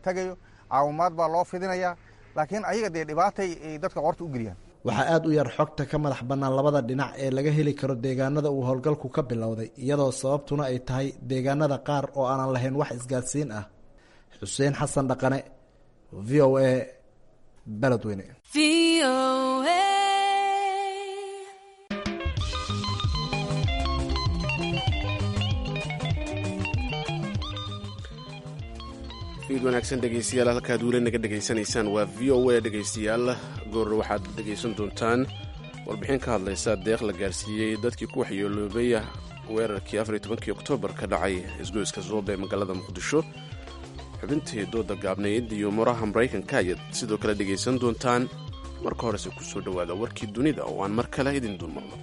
tagayo, caawimaad baa loo fidinayaa, laakiin ayaga dee dhibaatay ay dadka qoorta u geliyaan. Waxaa aada u yar xogta ka madax bannaan labada dhinac ee laga heli karo deegaanada uu howlgalku ka bilowday, iyadoo sababtuna ay tahay deegaanada qaar oo aanan lahayn wax isgaadsiin ah. Xuseen Xasan Dhaqane, V O A, Beledweyne. Fiid wanaagsan dhegeystayaal, halkaad weli naga dhegaysanaysaan waa V O A. Dhegeystayaal, goor waxaad dhegaysan doontaan warbixin ka hadlaysa deeq la gaarsiiyey dadkii ku waxyeeloobay weerarkii afar iyo tobankii oktoobar ka dhacay isgoyska Zoobe ee magaalada Muqdisho. Xubintii dooda gaabnayd iyo muraha Maraykanka ayaad sidoo kale dhegaysan doontaan. Marka horese ku soo dhowaada warkii dunida oo aan mar kale idin dulmarno.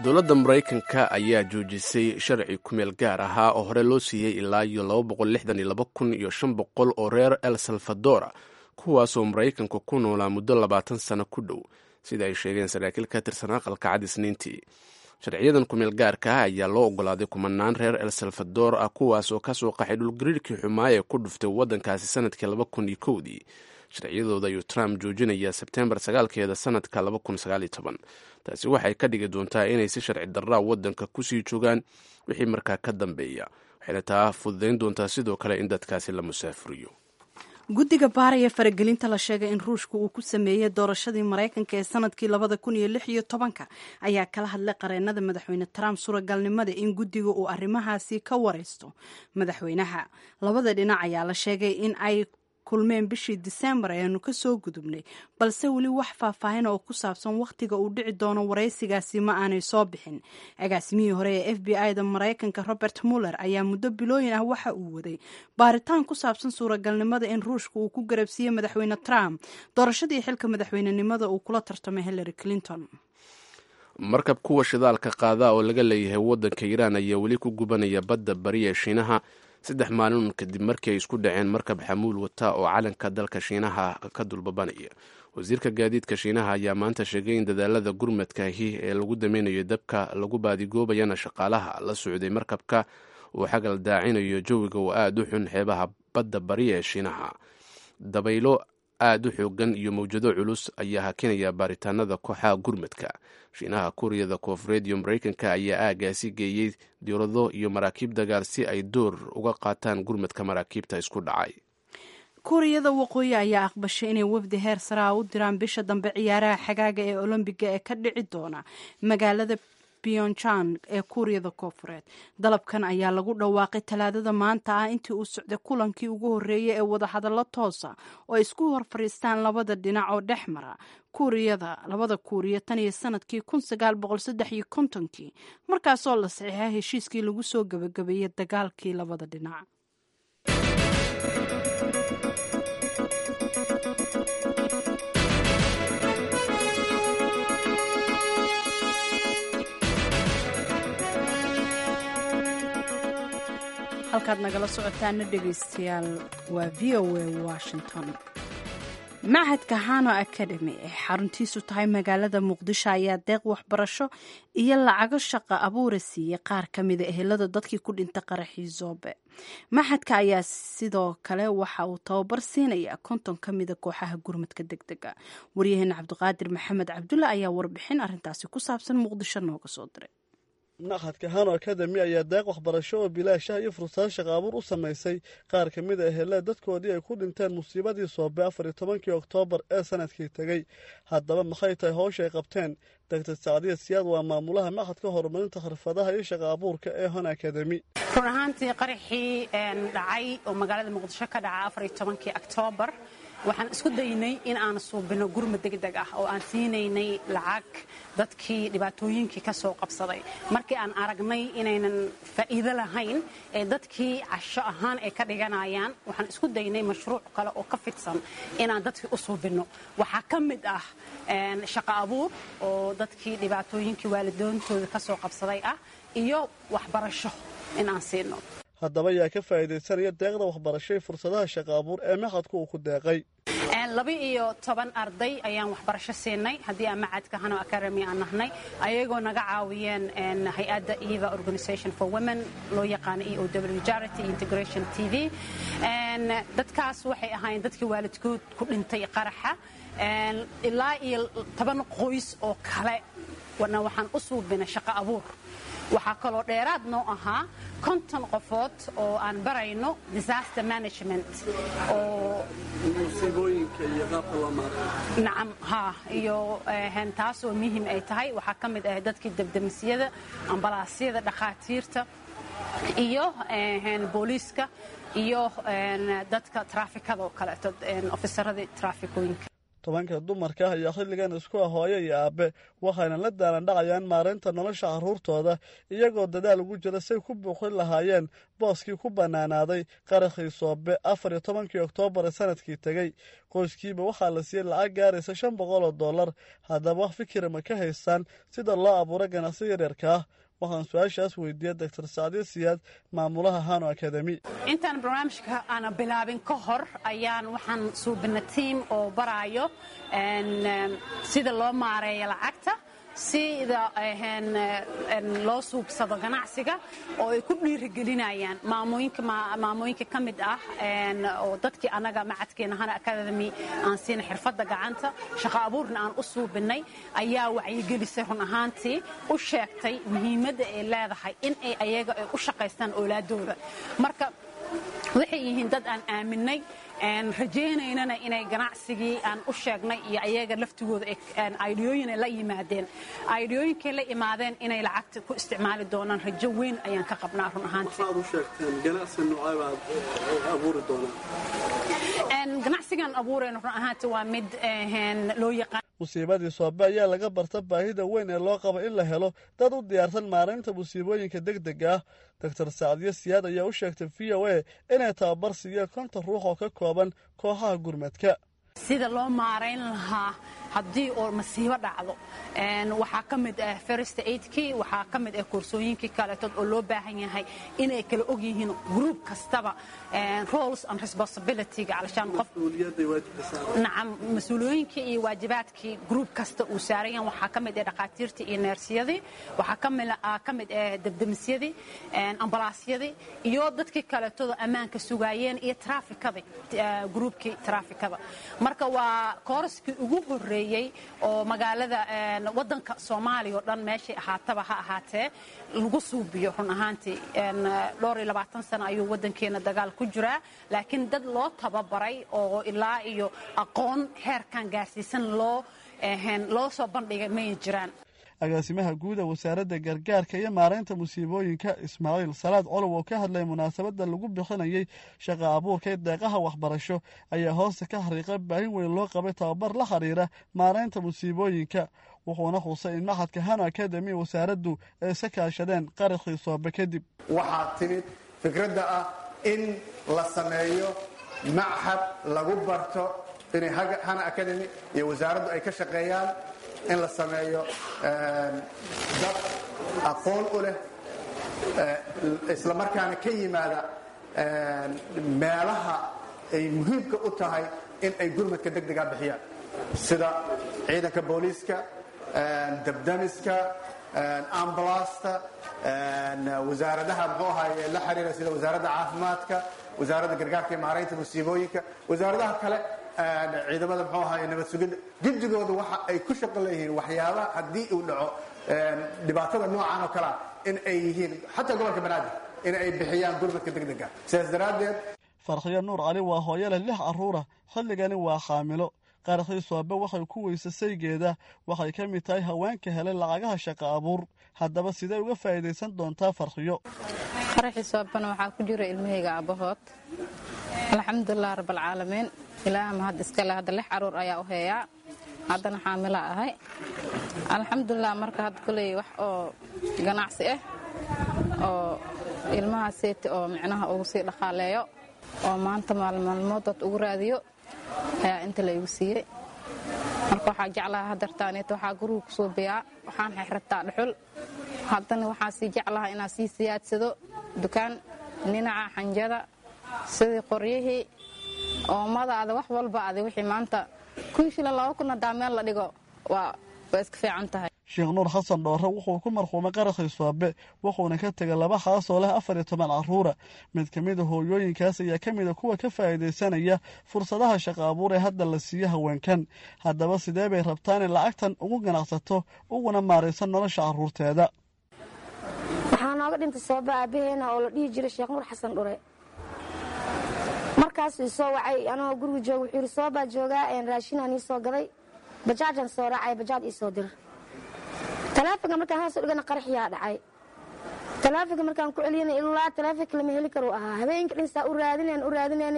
Dowladda Maraykanka ayaa joojisay sharci kumeel gaar ahaa oo hore loo siiyey ilaa iyo laba boqol lixdan iyo laba kun iyo shan boqol oo reer El Salvadora, kuwaasoo Maraykanka ku noolaa muddo labaatan sano ku dhow, sida ay sheegeen saraakiil ka tirsan aqalka cad Isniintii. Sharciyadan kumeel gaarka ah ayaa loo ogolaaday kumanaan reer El Salvador ah, kuwaasoo kasoo qaxay dhulgariirkii xumaa ee ku dhuftay waddankaasi sanadkii laba kun iyo kowdii. Sharciyadooda ayuu Trump joojinayaa Sebtembar sagaalkeeda sanadka laba kun sagaal iyo toban. Taasi waxay ka dhigi doontaa inay si sharci darraa waddanka kusii joogaan wixii markaa ka dambeeya, waxayna taa fududayn doontaa sidoo kale in dadkaasi la musaafuriyo. Guddiga baaraya faragelinta la sheegay in Ruushka uu ku sameeyey doorashadii Maraykanka ee sanadkii labada kun iyo lix iyo tobanka ayaa kala hadlay qareenada madaxweyne Trump suuragalnimada in guddiga uu arrimahaasi ka wareysto madaxweynaha. Labada dhinac ayaa la sheegay in ay kulmeen bishii Disembar ayaanu kasoo gudubnay, balse weli wax faahfaahin oo ku saabsan wakhtiga uu dhici doono waraysigaasi ma aanay soo bixin. Agaasimihii hore ee F B I-da Maraykanka Robert Muller ayaa muddo bilooyin ah waxa uu waday baaritaan ku saabsan suuragalnimada in Ruushka uu ku garabsiiyey madaxweyne Trump doorashadii xilka madaxweynenimada uu kula tartamay Hillary Clinton. Markab kuwa shidaalka qaada oo laga leeyahay waddanka Iiraan ayaa weli ku gubanaya badda bari ee Shiinaha saddex maalin kadib markii ay isku dhaceen markab xamuul wata oo calanka dalka Shiinaha ka dulbabanaya. Wasiirka gaadiidka Shiinaha ayaa maanta sheegay in dadaalada gurmadkaahi ee lagu dameynayo dabka lagu baadigoobayana shaqaalaha la socday markabka uu xagal daacinayo jawiga oo aada u xun xeebaha badda bari ee Shiinaha. Dabaylo aada u xoogan iyo mawjado culus ayaa hakinaya baaritaanada kooxaha gurmadka. Shiinaha, Kuuriyada Koonfureed iyo Maraykanka ayaa aagaasi geeyey diirado iyo maraakiib dagaal si ay door uga qaataan gurmadka maraakiibta isku dhacay. Kuuriyada Waqooyi ayaa aqbashay inay wafdi heer sare ah u diraan bisha dambe ciyaaraha xagaaga ee Olombiga ee ka dhici doona magaalada Pyongyang ee Kuuriyada Koonfureed. Dalabkan ayaa lagu dhawaaqay Talaadada maanta ah intii uu socday kulankii ugu horreeyay ee wadahadallo toosa oo ay isku hor fadhiistaan labada dhinac oo dhex mara Kuuriyada labada Kuuriya tan iyo sanadkii kun sagaal boqol saddex iyo kontonkii, markaasoo la saxiixay heshiiskii lagu soo gebagabeeyey dagaalkii labada dhinac. Halkaad nagala socotaana, dhegaystayaal, waa V O A Washington. Machadka Hano Academy ee xaruntiisu tahay magaalada Muqdisho ayaa deeq waxbarasho iyo lacago shaqa abuura siiyey qaar ka mida ehelada dadkii ku dhintay qaraxii Zoobe. Machadka ayaa sidoo kale waxa uu tababar siinaya konton ka mida kooxaha gurmadka deg dega. Waryaheena Cabdiqaadir Maxamed Cabdulla ayaa warbixin arintaasi ku saabsan Muqdisho nooga soo diray. Machadka Hano Academy ayaa deeq waxbarasho oo bilaash ah iyo fursado shaqa abuur u samaysay qaar ka mid a ehelada dadkoodii ay ku dhinteen musiibadii Soobe afar iyo tobankii Oktoobar ee sanadkii tegey. Haddaba, maxay tahay howsha ay qabteen? Doctor Sacdiya Siyaad waa maamulaha machadka horumarinta xirfadaha iyo shaqa abuurka ee Hano Academy. Run ahaantii, qaraxii dhacay oo magaalada Muqdisho ka dhaca afar iyo tobankii Oktoobar, waxaan isku daynay in aan suubino gurmad degdeg ah oo aan siinaynay lacag dadkii dhibaatooyinkii ka soo qabsaday. Markii aan aragnay inaynan faa'iido lahayn ee dadkii casho ahaan ay ka dhiganayaan, waxaan isku daynay mashruuc kale oo ka fidsan inaan dadkii u suubino. Waxaa ka mid ah shaqo abuur oo dadkii dhibaatooyinkii waalidoontooda ka soo qabsaday ah iyo waxbarasho in aan siino. Haddaba, yaa ka faa'iidaysanaya deeqda waxbarashay fursadaha shaqa abuur ee machadku uu ku deeqay? Laba iyo toban arday ayaan waxbarasho siinay haddii aan macadka Hano Academy aan nahnay, ayagoo naga caawiyeen hay-adda Eva Organization for Women, loo yaqaano E O W Charity Integration T V. Dadkaas waxay ahaayeen dadkii waalidkood ku dhintay qaraxa. Ilaa iyo toban qoys oo kale wana waxaan u suubinay shaqo abuur. Waxaa kaloo dheeraad noo ahaa konton qofood oo aan barayno disaster management oo nacam ha iyo taasoo muhiim ay tahay. Waxaa ka mid ah dadkii debdemisyada, ambalaasyada, dhakhaatiirta iyo booliiska iyo dadka traafikada oo kaleeto, ofisaradii traafikooyinka. Tobanka dumarka ah ayaa xilligan isku ah hooyo iyo aabe, waxayna la daalan dhacayaan maareynta nolosha carruurtooda, iyagoo dadaal ugu jira say ku buuxin lahaayeen booskii ku bannaanaaday qarakhii Soobe afar iyo tobankii Oktoobar ee sanadkii tegey. Qoyskiiba waxaa la siiyey lacag gaaraysa shan boqol oo dollar. Haddaba, wax fikira ma ka haystaan sida loo abuuro ganacsi yaryarka ah? Waxaan su-aashaas weydiiyey Doctor Sacdiye Siyaad, maamulaha Hano Academy. Intaan barnaamijka aana bilaabin ka hor ayaan waxaan suubina tiam oo baraayo sida loo maareeyo lacagta, sida loo suubsado ganacsiga, oo ay ku dhiirigelinayaan maamooyinka ka mid ah oo dadkii annaga macadkeena Hano Academy aan siina xirfadda gacanta, shaqo abuurna aan u suubinay, ayaa wacyigelisay, run ahaantii u sheegtay muhiimadda ay leedahay in ay ayaga ay u shaqaystaan oolaadooda. Marka waxay yihiin dad aan aaminay, rajaynaynana inay ganacsigii aan u sheegnay iyo ayaga laftigooda aidiyooyin ay la yimaadeen, aidiyooyinkay la imaadeen inay lacagta ku isticmaali doonaan. Rajo weyn ayaan ka qabnaa run ahaantii. Ganacsigan abuurayno run ahaantii waa mid loo yaqaan Musiibadii Soobe ayaa laga barta baahida weyn ee loo qabo in la helo dad u diyaarsan maaraynta musiibooyinka deg dega ah. Doctor Sacdiye Siyaad ayaa u sheegtay V O A inay tababar siiyeen konton ruux oo ka kooban kooxaha gurmadka. Sida loo maarayn lahaa haddii oo masiibo dhacdo, waxaa ka mid ah first aidkii, waxaa ka mid ah koorsooyinkii kaleetood oo loo baahan yahay inay kala og yihiin group kastaba roles and responsibilityga, calashaan qof, nacam, mas-uuliyooyinkii iyo waajibaadkii group kasta uu saaran yahay. Waxaa ka mid ah dhakhaatiirtii iyo neersiyadii, waxaa ka mid ah debdemisyadii, ambalaasyadii iyo dadkii kaleetooda ammaanka sugaayeen iyo traafikadii, groupkii traafikada. Marka waa koorskii ugu horreeyey oo magaalada, waddanka Soomaaliya oo dhan meeshay ahaataba ha ahaatee lagu suubiyo. Run ahaantii dhowr iyo labaatan sano ayuu waddankeena dagaal ku jiraa, laakiin dad loo tababaray oo ilaa iyo aqoon heerkan gaarsiisan loo loo soo bandhigay may jiraan. Agaasimaha guud ee Wasaaradda Gargaarka iyo Maareynta Musiibooyinka, Ismaaciil Salaad Colow, oo ka hadlay munaasabadda lagu bixinayay shaqa abuurka ee deeqaha waxbarasho, ayaa hoosta ka xariiqay baahin weyn loo qabay tababar la xiriira maareynta musiibooyinka, wuxuuna xusay in machadka Hano Academy wasaaraddu ay iska kaashadeen qaraxii Soobe kadib. Waxaa timid fikradda ah in la sameeyo machad lagu barto, inay Hano Academy iyo wasaaraddu ay ka shaqeeyaan in la sameeyo dad aqoon u leh, isla markaana ka yimaada meelaha ay muhiimka u tahay in ay gurmadka deg dega bixiyaan, sida ciidanka booliiska, dabdamiska, ambalaasta, wasaaradaha muxuu ahaye la xiriira, sida Wasaaradda Caafimaadka, Wasaaradda Gargaarka iyo Maaraynta Musiibooyinka, wasaaradaha kale, ciidamada muxuu ahaye nabad sugidda. Guddigooda waxa ay ku shaqo leeyihiin waxyaabaha haddii uu dhaco dhibaatada noocan oo kalea in ay yihiin, xataa gobolka Banaadir, in ay bixiyaan gurmadka deg dega. Sidaas daraaddeed, Farxiyo Nuur Cali waa hooyo leh lix carruura, xilligani waa xaamilo. Qaraxii Soobe waxay ku weysa saygeeda. Waxay ka mid tahay haweenka helay lacagaha shaqa abuur. Haddaba sidee uga faa'iidaysan doontaa Farxiyo? Qaraxii Soobana waxaa ku jira ilmahayga aabbahood. Alxamdulilah rabbalcaalamiin, Ilaaha mahad iskale. Hadda lix caruur ayaa u heeyaa, haddana xaamila ahay, alxamdulilah. Marka hadda koley wax oo ganacsi ah oo ilmaha seeti oo micnaha ugu sii dhaqaaleeyo oo maanta maalmaalmood dad ugu raadiyo ayaa inta la igu siiyey. Marka waxaa jeclaha hadartaaneet waxaa guriga kusoo biyaa, waxaan xirxirtaa dhuxul. Haddana waxaa sii jeclaha inaa sii siyaadsado dukaan dhinaca xanjada, sidii qoryihii, oomadaada, wax walba adi wixii maanta kun shilin, laba kun haddaa meel la dhigo waa waa iska fiican tahay. Sheekh Nuur Xasan Dhoore wuxuu ku marxuumay qaraxii Soobe, wuxuuna ka tegay laba xaas oo leh afar iyo toban carruura. Mid ka mida hooyooyinkaas ayaa ka mida kuwa ka faa'iidaysanaya fursadaha shaqa abuur ee hadda la siiyo haweenkan. Haddaba sidee bay rabtaan in lacagtan ugu ganacsato uguna maarayso nolosha carruurteeda? Waxaa nooga dhintay Soobe aabbaheena oo la dhihi jiray Sheekh Nuur Xasan Dhure. Markaasuu isoo wacay anagoo guriga jooga. Wuxuu yidhi, "Soobaa joogaa, raashinaan ii soo gaday, bajaajaan soo raacay, bajaaj ii soo dir." Taleefonka markaan hoos u dhigana qaraxyaa dhacay. Taleefonka markaan ku celiyana ilaa taleefonka lama heli karu ahaa. Habeenka dhinsaa u raadinayn u raadinayn,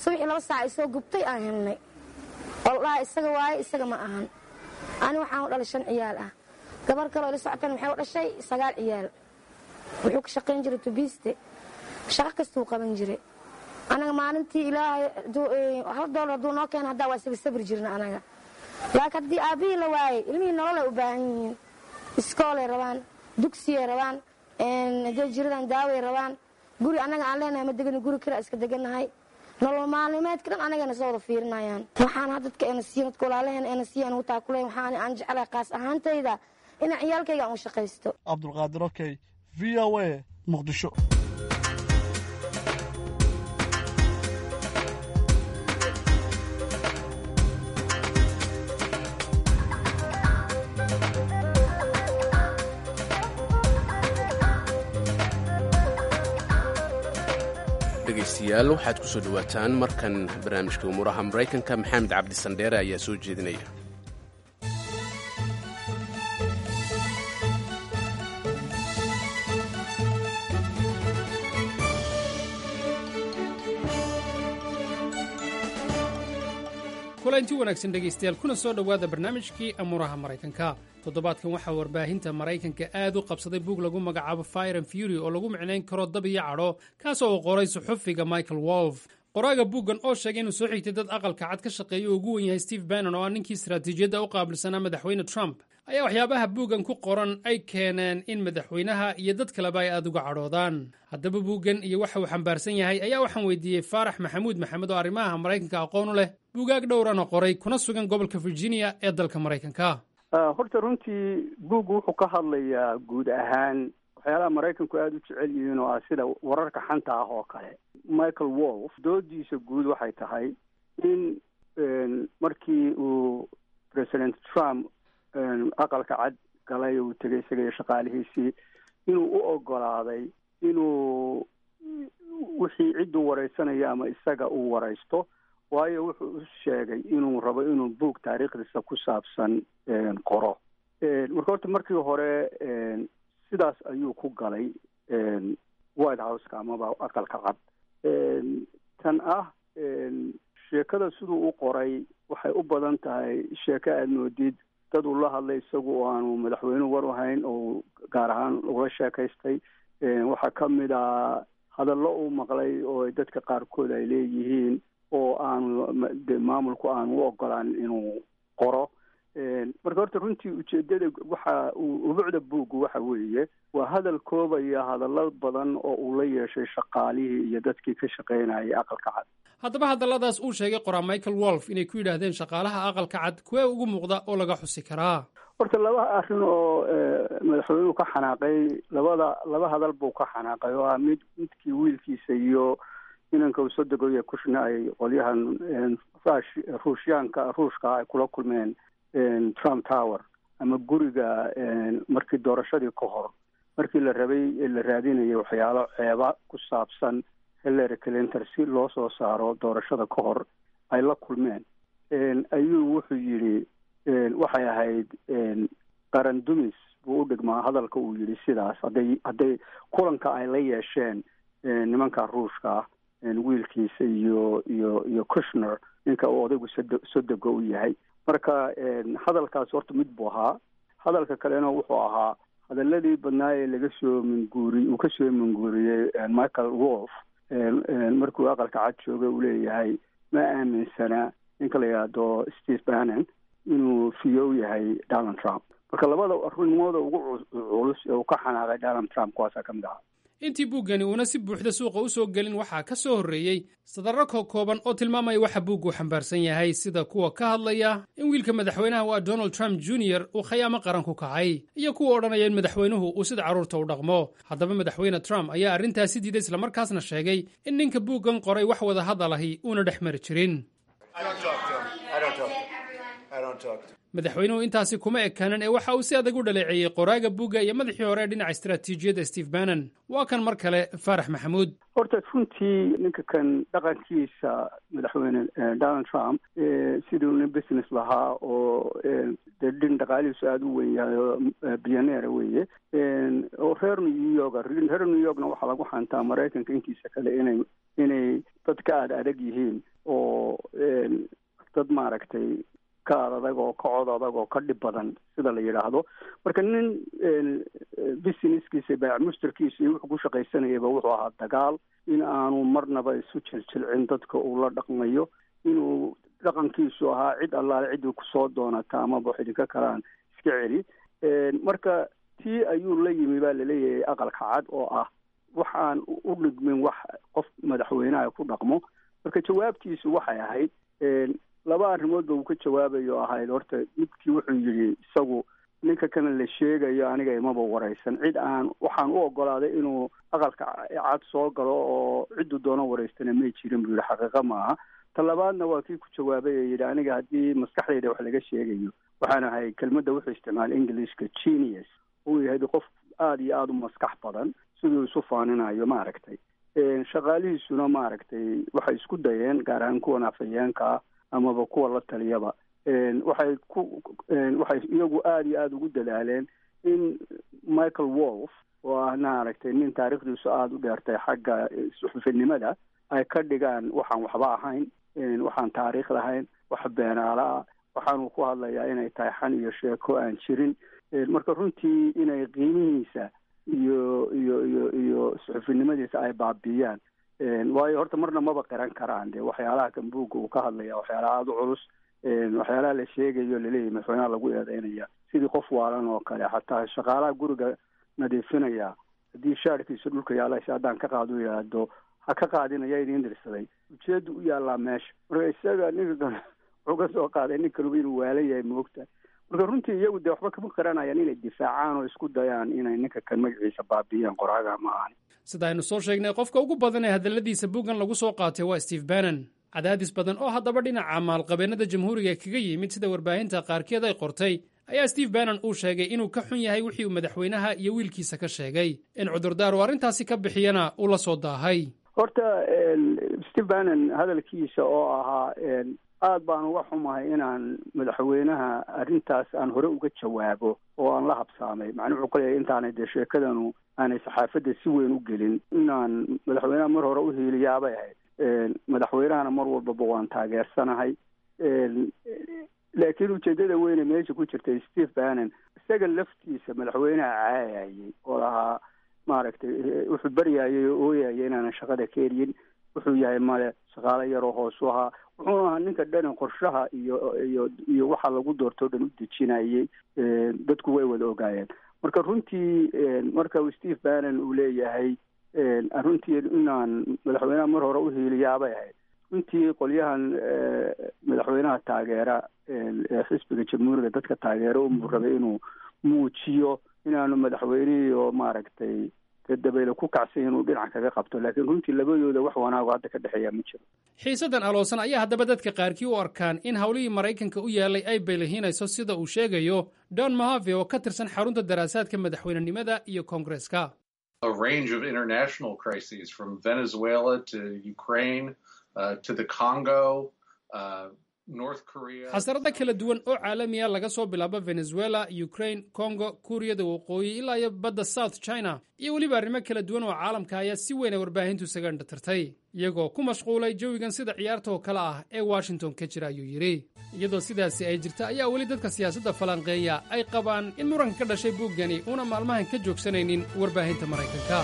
subaxii laba saac isoo gubtay aan helnay oo la dhahaa isaga waaye. Isaga ma ahan. Ani waxaan u dhalay shan ciyaal ah, gabar kaloo ila socotan waxay u dhashay sagaal ciyaal. Wuxuu ka shaqayn jiray tubiiste, shaqo kastuu qaban jiray. Anaga maalintii Ilaahay hal doolar hadduu noo keena haddaa waa isaga sabri jirna anaga, laakiin haddii aabbihii la waayey, ilmihii nololay u baahan yihiin, iskoolay rabaan, dugsiyay rabaan, hadday jiradan daaway rabaan. Guri annaga aan leenahay ma degani, guri kira iska degannahay. Nolol maalmeedka dhan anagana soo wada fiirinayaan. Waxaan had dadka eena siiyan, dadka walaalaheen eena siiyan ugu taakuleen. Waxaan aan jeclahay qaas ahaantayda inaan ciyaalkayga aan u shaqaysto. Cabdulqaadir Okey, V O A, Muqdisho. Dhegaystayaal, waxaad ku soo dhowaataan markan barnaamijka umuuraha Maraykanka. Maxamed Cabdi Sandheere ayaa soo jeedinaya. Kulanti wanaagsan dhegaystayaal, kuna soo dhowaada barnaamijkii amuuraha Maraykanka. Toddobaadkan waxaa warbaahinta Maraykanka aad u qabsaday buug lagu magacaabo Fire and Fury, oo lagu micnayn karo dab iyo cadho, kaasoo uu qoray suxufiga Michael Wolf. Qoraaga buuggan oo sheegay inuu soo xigtay dad Aqalka Cad ka shaqeeya oo ugu wen yahay Steve Bannon, oo ah ninkii istaraatiijiyadda u qaabilsanaa madaxweyne Trump, ayaa waxyaabaha buuggan ku qoran ay keeneen in madaxweynaha iyo dad kaleba ay aada uga cadhoodaan. Haddaba buuggan iyo waxa uu xambaarsan yahay ayaa waxaan weydiiyey Faarax Maxamuud Maxamed, oo arrimaha Maraykanka aqoon u leh, buugaag dhowrana qoray, kuna sugan gobolka Virginia ee dalka Maraykanka. Horta runtii buuggu wuxuu ka hadlayaa guud ahaan waxyaalaha Maraykanku aada u jecel yihiin, oo ah sida wararka xanta ah oo kale. Michael Wolf doodiisa guud waxay tahay in markii uu President Trump Aqalka Cad galay, uu tegay isaga iyo shaqaalihiisii, inuu u ogolaaday inuu wixii cidduu wareysanaya ama isaga uu wareysto, waayo wuxuu u sheegay inuu rabo inuu buug taariikhdiisa ku saabsan qoro. Marka horta markii hore sidaas ayuu ku galay White Houseka amaba Aqalka Cad. Tan ah sheekada siduu u qoray waxay u badan tahay sheeko aada moodid dad uu la hadlay isagu oo aanu madaxweynuhu war u hayn oo gaar ahaan ula sheekaystay. Waxaa ka mid a hadallo uu maqlay oo dadka qaarkood ay leeyihiin oo aanu de maamulku aanu u ogolaan inuu qoro. Marka horta runtii ujeedada waxa uu ubucda buuggu waxa weeye waa hadal koobaya hadallo badan oo uu la yeeshay shaqaalihii iyo dadkii ka shaqaynayay Aqalka Cad. Haddaba hadalladaas uu sheegay qoraa Michael Wolf inay ku yidhaahdeen shaqaalaha Aqalka Cad, kuwee ugu muuqda oo laga xusi karaa? Horta laba arrin oo madaxweynuhu ka xanaaqay, labada laba hadal buu ka xanaaqay, oo ah mid midkii wiilkiisa iyo inanka uu soo degoya Kushna ay qolyahan rush Ruushyaanka Ruushka ay kula kulmeen Trump Tower ama guriga markii doorashadii ka hor, markii la rabay la raadinayay waxyaalo ceeba ku saabsan Hillary Clinton si loo soo saaro doorashada ka hor ay la kulmeen, ayuu wuxuu yidhi waxay ahayd qaran dumis buu u dhigmaa hadalka uu yidhi sidaas hadday hadday kulanka ay la yeesheen nimanka Ruushka ah, wiilkiisa iyo iyo iyo Kushner, ninka uu odaygu sod sodego u yahay. Marka hadalkaas horta mid buu ahaa. Hadalka kalena wuxuu ahaa hadaladii badnaa ee laga soo minguuri uu kasoo minguuriyey Michael Wolf markuu Aqalka Cad joogay, uu leeyahay ma aaminsana ninka la yidhaahdo Steve Bannon inuu fiyow yahay Donald Trump. Marka labada arrimooda ugu culus ee uu ka xanaaqay Donald Trump kuwaasaa ka mid ahaa. Intii buuggani uuna si buuxda suuqa u soo gelin, waxaa ka soo horreeyey sadarro kokooban oo tilmaamaya waxa buuggu xambaarsan yahay, sida kuwa ka hadlaya in wiilka madaxweynaha waa Donald Trump Junior uu khayaamo qaran ku kacay, iyo kuwa odhanaya in madaxweynuhu uu sida carruurta u dhaqmo. Haddaba madaxweyne Trump ayaa arrintaasi diiday, islamarkaasna sheegay in ninka buuggan qoray wax wada hadal ahi uuna dhex mari jirin. Madaxweynuhu intaasi kuma ekaanan ee waxa uu si adag u dhaleeceeyey qoraaga buugga iyo madaxii hore ee dhinaca istaraatiijiyadda Steve Bannon. Waa kan mar kale Faarax Maxamuud. Horta runtii ninka kan dhaqankiisa madaxweyne Donald Trump, siduu nin business lahaa oo dee dhin dhaqaalihiisu aada u weyn yahay oo billionaire weeye oo reer New York, reer New Yorkna waxaa lagu xantaa Maraykanka intiisa kale inay inay dad ka aada adag yihiin oo dad maaragtay ka ad adag oo ka cod adag oo ka dhib badan sida la yidhaahdo. Marka nin businesskiisa, baac mushtarkiisa iyo wuxuu ku shaqaysanayaba wuxuu ahaa dagaal, in aanu marnaba isu jiljilcin dadka uu la dhaqmayo, inuu dhaqankiisu ahaa cid allaale ciddii kusoo doonata amaba wax idinka kalaan iska celi. Marka tii ayuu la yimi baa laleeyahay Aqalka Cad, oo ah waxaan u dhigmin wax qof madaxweynaha ku dhaqmo. Marka jawaabtiisu waxay ahayd laba arrimood ba uu ka jawaabayo ahayd. Horta midkii wuxuu yidhi isagu ninka kana la sheegayo aniga imaba waraysan, cid aan waxaan u ogolaaday inuu Aqalka Cad soo galo oo cidduu doono waraystana may jirin buu yidhi, xaqiiqa maaha. Ta labaadna waa kii ku jawaabay ee yidhi aniga haddii maskaxdayda wax laga sheegayo waxaan ahay, kelmadda wuxuu isticmaalay Englishka, genius, uu yahay qof aada iyo aada u maskax badan siduu isu faaninayo maaragtay. Shaqaalihiisuna maaragtay waxay isku dayeen, gaar ahaan kuwan afhayeenka ah amaba kuwa la taliyaba, waxay ku waxay iyagu aada iyo aada ugu dadaaleen in Michael Wolf oo ah maaragtay nin taariikhdiisu aada u dheertay xagga suxufinimada ay ka dhigaan waxaan waxba ahayn, waxaan taariikh lahayn, wax beenaala ah, waxaanuu ku hadlayaa inay tahay xan iyo sheeko aan jirin. Marka runtii inay qiimihiisa iyo iyo iyo iyo suxufinimadiisa ay baabiiyaan Waayo horta marna maba qiran karaan dee waxyaalaha kan buugga uu ka hadlaya, waxyaalaha aada u culus, waxyaalaha la sheegayo laleeyahy madaxweynaha lagu eedeynaya sidii qof waalan oo kale. Xataa shaqaalaha guriga nadiifinaya haddii shaarkiisa dhulka yaala haddaan ka qaado yidhaahdo ha ka qaadinaya idin dirsaday, ujeedu u yaallaa meesha. Marka isaga ninka wuxuu ka soo qaaday nin kaluba inuu waalan yahay, moogta. Marka runtii iyagu dee waxba kama qiranayaan inay difaacaan oo isku dayaan inay ninka kan magaciisa baabiiyaan, qoraaga ma ahan. Sida aynu soo sheegnay, qofka ugu badan ee hadalladiisa buuggan lagu soo qaatay waa Steve Bannon. Cadaadis badan oo haddaba dhinaca maalqabeennada jamhuuriga kaga yimid, sida warbaahinta qaarkeed ay qortay, ayaa Steve Bannon uu sheegay inuu ka xun yahay wixii uu madaxweynaha iyo wiilkiisa ka sheegay, in cudurdaar uu arrintaasi ka bixiyana uu la soo daahay. Horta Steve Bannon hadalkiisa oo ahaa aad baan uga xumahay inaan madaxweynaha arrintaas aan hore uga jawaabo oo aan la habsaamay, macnuu wuxuu ka leeyahay intaanay dee sheekadanu aanay saxaafadda si weyn u gelin inaan madaxweynaha mar hore u hiiliyaabay ahayd, madaxweynahana mar walbaba waan taageersanahay. Laakiin ujeedada weyne meesha ku jirtay, Steve Bannon isaga laftiisa madaxweynaha caayayay oo lahaa maaragtay wuxuu baryayay oo ooyayay inaanan shaqada ka eryin, wuxuu yahay male shaqaalo yaroo hoosu ahaa, wuxuuna ahaa ninka dhani qorshaha iyo iyo iyo waxa lagu doortoo dhan u dejinayay, dadku way wada ogaayeen. Marka runtii marka uu Steve Bannon uu leeyahay runtii inaan madaxweynaha mar hore u hiiliyaabay ahayd, runtii qolyahan madaxweynaha taageera ee xisbiga jamhuuriga dadka taageera unbuu rabay inuu muujiyo inaanu madaxweynihii oo maaragtay dabayle ku kacsan inuu dhinac kaga qabto, laakiin runtii labadooda wax wanaago hadda ka dhexeeya ma jiro. Xiisaddan aloosan ayaa haddaba dadka qaarkii u arkaan in howlihii Maraykanka u yaalay ay baylihiinayso, sida uu sheegayo Don Mahave oo ka tirsan xarunta daraasaadka madaxweynenimada iyo koongareeska. A range of international crises from Venezuela to Ukraine uh, to the Congo, uh, North Korea. Xasarado kala duwan oo caalamiya, laga soo bilaabo Venezuela, Ukraine, Congo, Kuuriyada Waqooyi ilaa iyo badda South China iyo weliba arrimo kala duwan oo caalamka, ayaa si weyn ay warbaahintu isaga indhatirtay, iyagoo ku mashquulay jawigan sida ciyaarta oo kale ah ee Washington ka jira, ayuu yidhi. Iyadoo sidaasi ay jirta ayaa weli dadka siyaasadda falanqeeya ay qabaan in muranka ka dhashay buuggani uuna maalmahan ka joogsanaynin warbaahinta Maraykanka.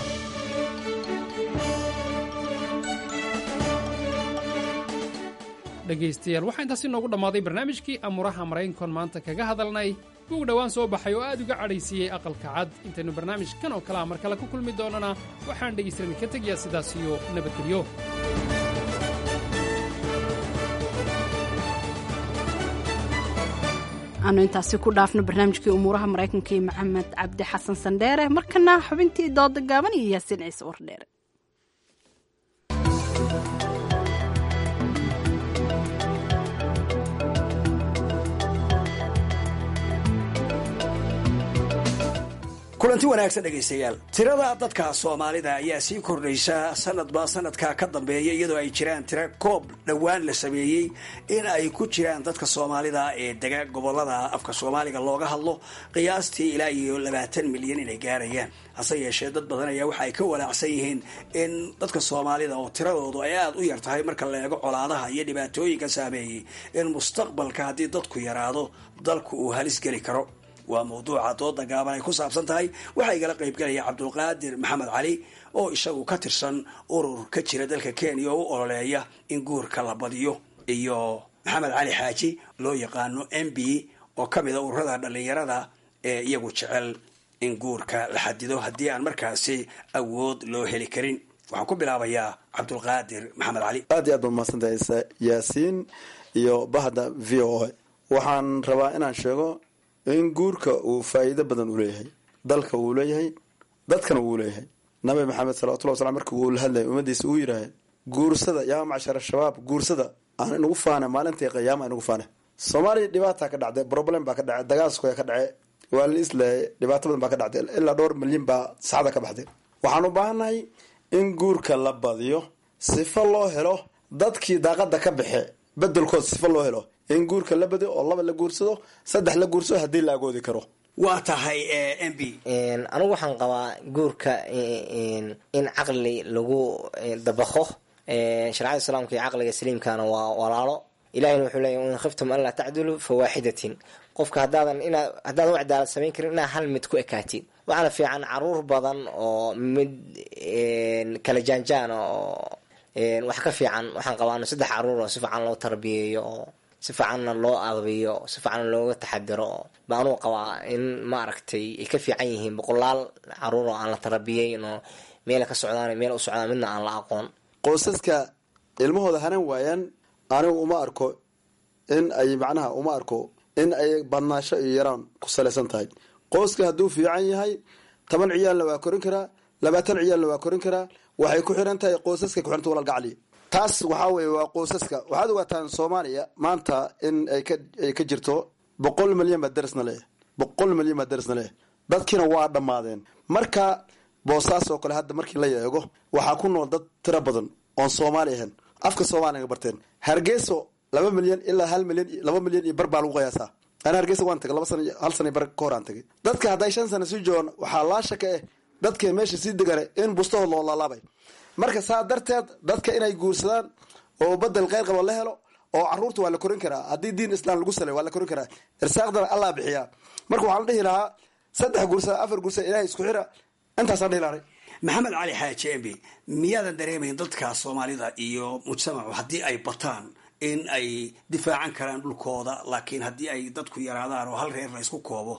Dhegaystayaal, waxaa intaasi noogu dhammaaday barnaamijkii Amuraha Maraykankoon maanta kaga hadalnay buug dhowaan soo baxay oo aad uga cadhaysiiyey Aqalka Cad. Intaynu barnaamijkan oo kale a mar kale ku kulmi doonana, waxaan dhegaystadan ka tegayaa sidaas iyo nabadgelyo. Aanu intaasi ku dhaafno barnaamijkii Umuuraha Maraykanka iyo Maxamed Cabdi Xasan Sandheere. Markana xubintii dooda gaaban iyo Yaasiin Ciise Wardheere. Kulanti wanaagsan dhegaystayaal. Tirada dadka Soomaalida ayaa sii kordhaysa sanadba sanadka ka dambeeya, iyadoo ay jiraan tira koob dhowaan la sameeyey in ay ku jiraan dadka Soomaalida ee dega gobolada afka Soomaaliga looga hadlo qiyaastii ilaa iyo labaatan milyan inay gaarayaan. Hase yeeshee dad badan ayaa waxa ay ka walaacsan yihiin in dadka Soomaalida oo tiradoodu ay aada u yar tahay marka la eego colaadaha iyo dhibaatooyinka saameeyey, in mustaqbalka haddii dadku yaraado dalku uu halis geli karo. Waa mawduuca dooda gaaban ay ku saabsan tahay. Waxaa igala qaybgalaya Cabdulqaadir Maxamed Cali oo isagu ka tirsan urur ka jira dalka Kenya oo u ololeeya in guurka la badiyo, iyo Maxamed Cali Xaaji loo yaqaano M B oo ka mid a ururada dhallinyarada ee iyagu jecel in guurka la xadido haddii aan markaasi awood loo heli karin. Waxaan ku bilaabayaa Cabdulqaadir Maxamed Cali. Aad iyo aad baad mahadsantahay Yaasiin iyo bahda V O A. Waxaan rabaa inaan sheego in guurka uu faa'iido badan u leeyahay dalka, wuu leeyahay dadkana wuu leeyahay. Nabi Maxamed salawatullah waslam markii uu la hadlayay ummadiisa uu yidhaahay guursada yaa macshara shabaab, guursada aan inagu faana maalintii qiyaama inagu faana. Soomaaliya dhibaataa ka dhacday, problem baa ka dhacay, dagaalskoya ka dhacay, waa la islaayay, dhibaato badan baa ka dhacday, ilaa dhowr milyan baa saxda ka baxday. Waxaan u baahannahay in guurka la badiyo sifo loo helo dadkii daaqada ka baxe bedelkood, sifo loo helo in guurka la badiyo oo laba la guursado, saddex la guursado haddii la agoodi karo. Waa tahay M B. Anigu waxaan qabaa guurka in caqli lagu dabaqo. Shareecada Islaamka iyo caqliga saliimkana waa walaalo. Ilahina wuxuu leeyahy in khiftum an laa tacdiluu fawaaxidatin. Qofka haddaadan inaa haddaadan u cadaalad samayn karin, inaa hal mid ku ekaatid. Waxaana fiican caruur badan oo mid kala jaanjaana oo wax ka fiican. Waxaan qabaano saddex caruur oo si fiican loo tarbiyeeyo, oo si fiicanna loo adabiyo, si fiicanna looga taxadiro, ba anuu qabaa in maaragtay ay ka fiican yihiin boqolaal caruur oo aan la tarbiyeyn, oo meela ka socdaan, meel u socdaan midna aan la aqoon. Qoysaska ilmahooda hanan waayaan, anigu uma arko in ay macnaha uma arko in ay badnaasho iyo yaraan ku salaysan tahay. Qoyska hadduu fiican yahay, toban ciyaalna waa korin karaa, labaatan ciyaalna waa korin karaa. Waxay ku xiran tahay qoysaska ku xiranta, walaal gacli. Taas waxaa weye waa qoysaska. Waxaad ogaataan Soomaaliya maanta in ay ka ay ka jirto boqol milyan baa darisna leeyahay, boqol milyan baa darisna leeyahay. Dadkiina waa dhammaadeen. Marka Boosaas oo kale hadda markii la eego, waxaa ku nool dad tiro badan oon Soomaali ahayn, afka Soomaaliga barteen. Hargeyso laba milyan ilaa hal milyan, laba milyan iyo bar baa lagu qiyaasaa. Ana Hargeysa waan tagay laba sana, hal sana bar ka hor aan tagay. Dadka hadday shan sano sii joogaan, waxaa laa shaka eh dadka meesha sii degane in bustahood loo laalaabay. Marka saa darteed dadka inay guursadaan oo badel kheyr qabo la helo, oo caruurta waa la korin karaa haddii diin Islaam lagu salay, waa la korin karaa. Irsaaqdana Allah bixiyaa. Marka waxaan dhihi lahaa saddex guursada, afar guursada, Ilahay isku xira, intaasaan dhihi lahay. Maxamed Cali Xaaji Embi, miyaadan dareemayn dadka Soomaalida iyo mujtamacu haddii ay bataan in ay difaacan karaan dhulkooda, laakiin haddii ay dadku yaraadaan oo hal reer la isku koobo,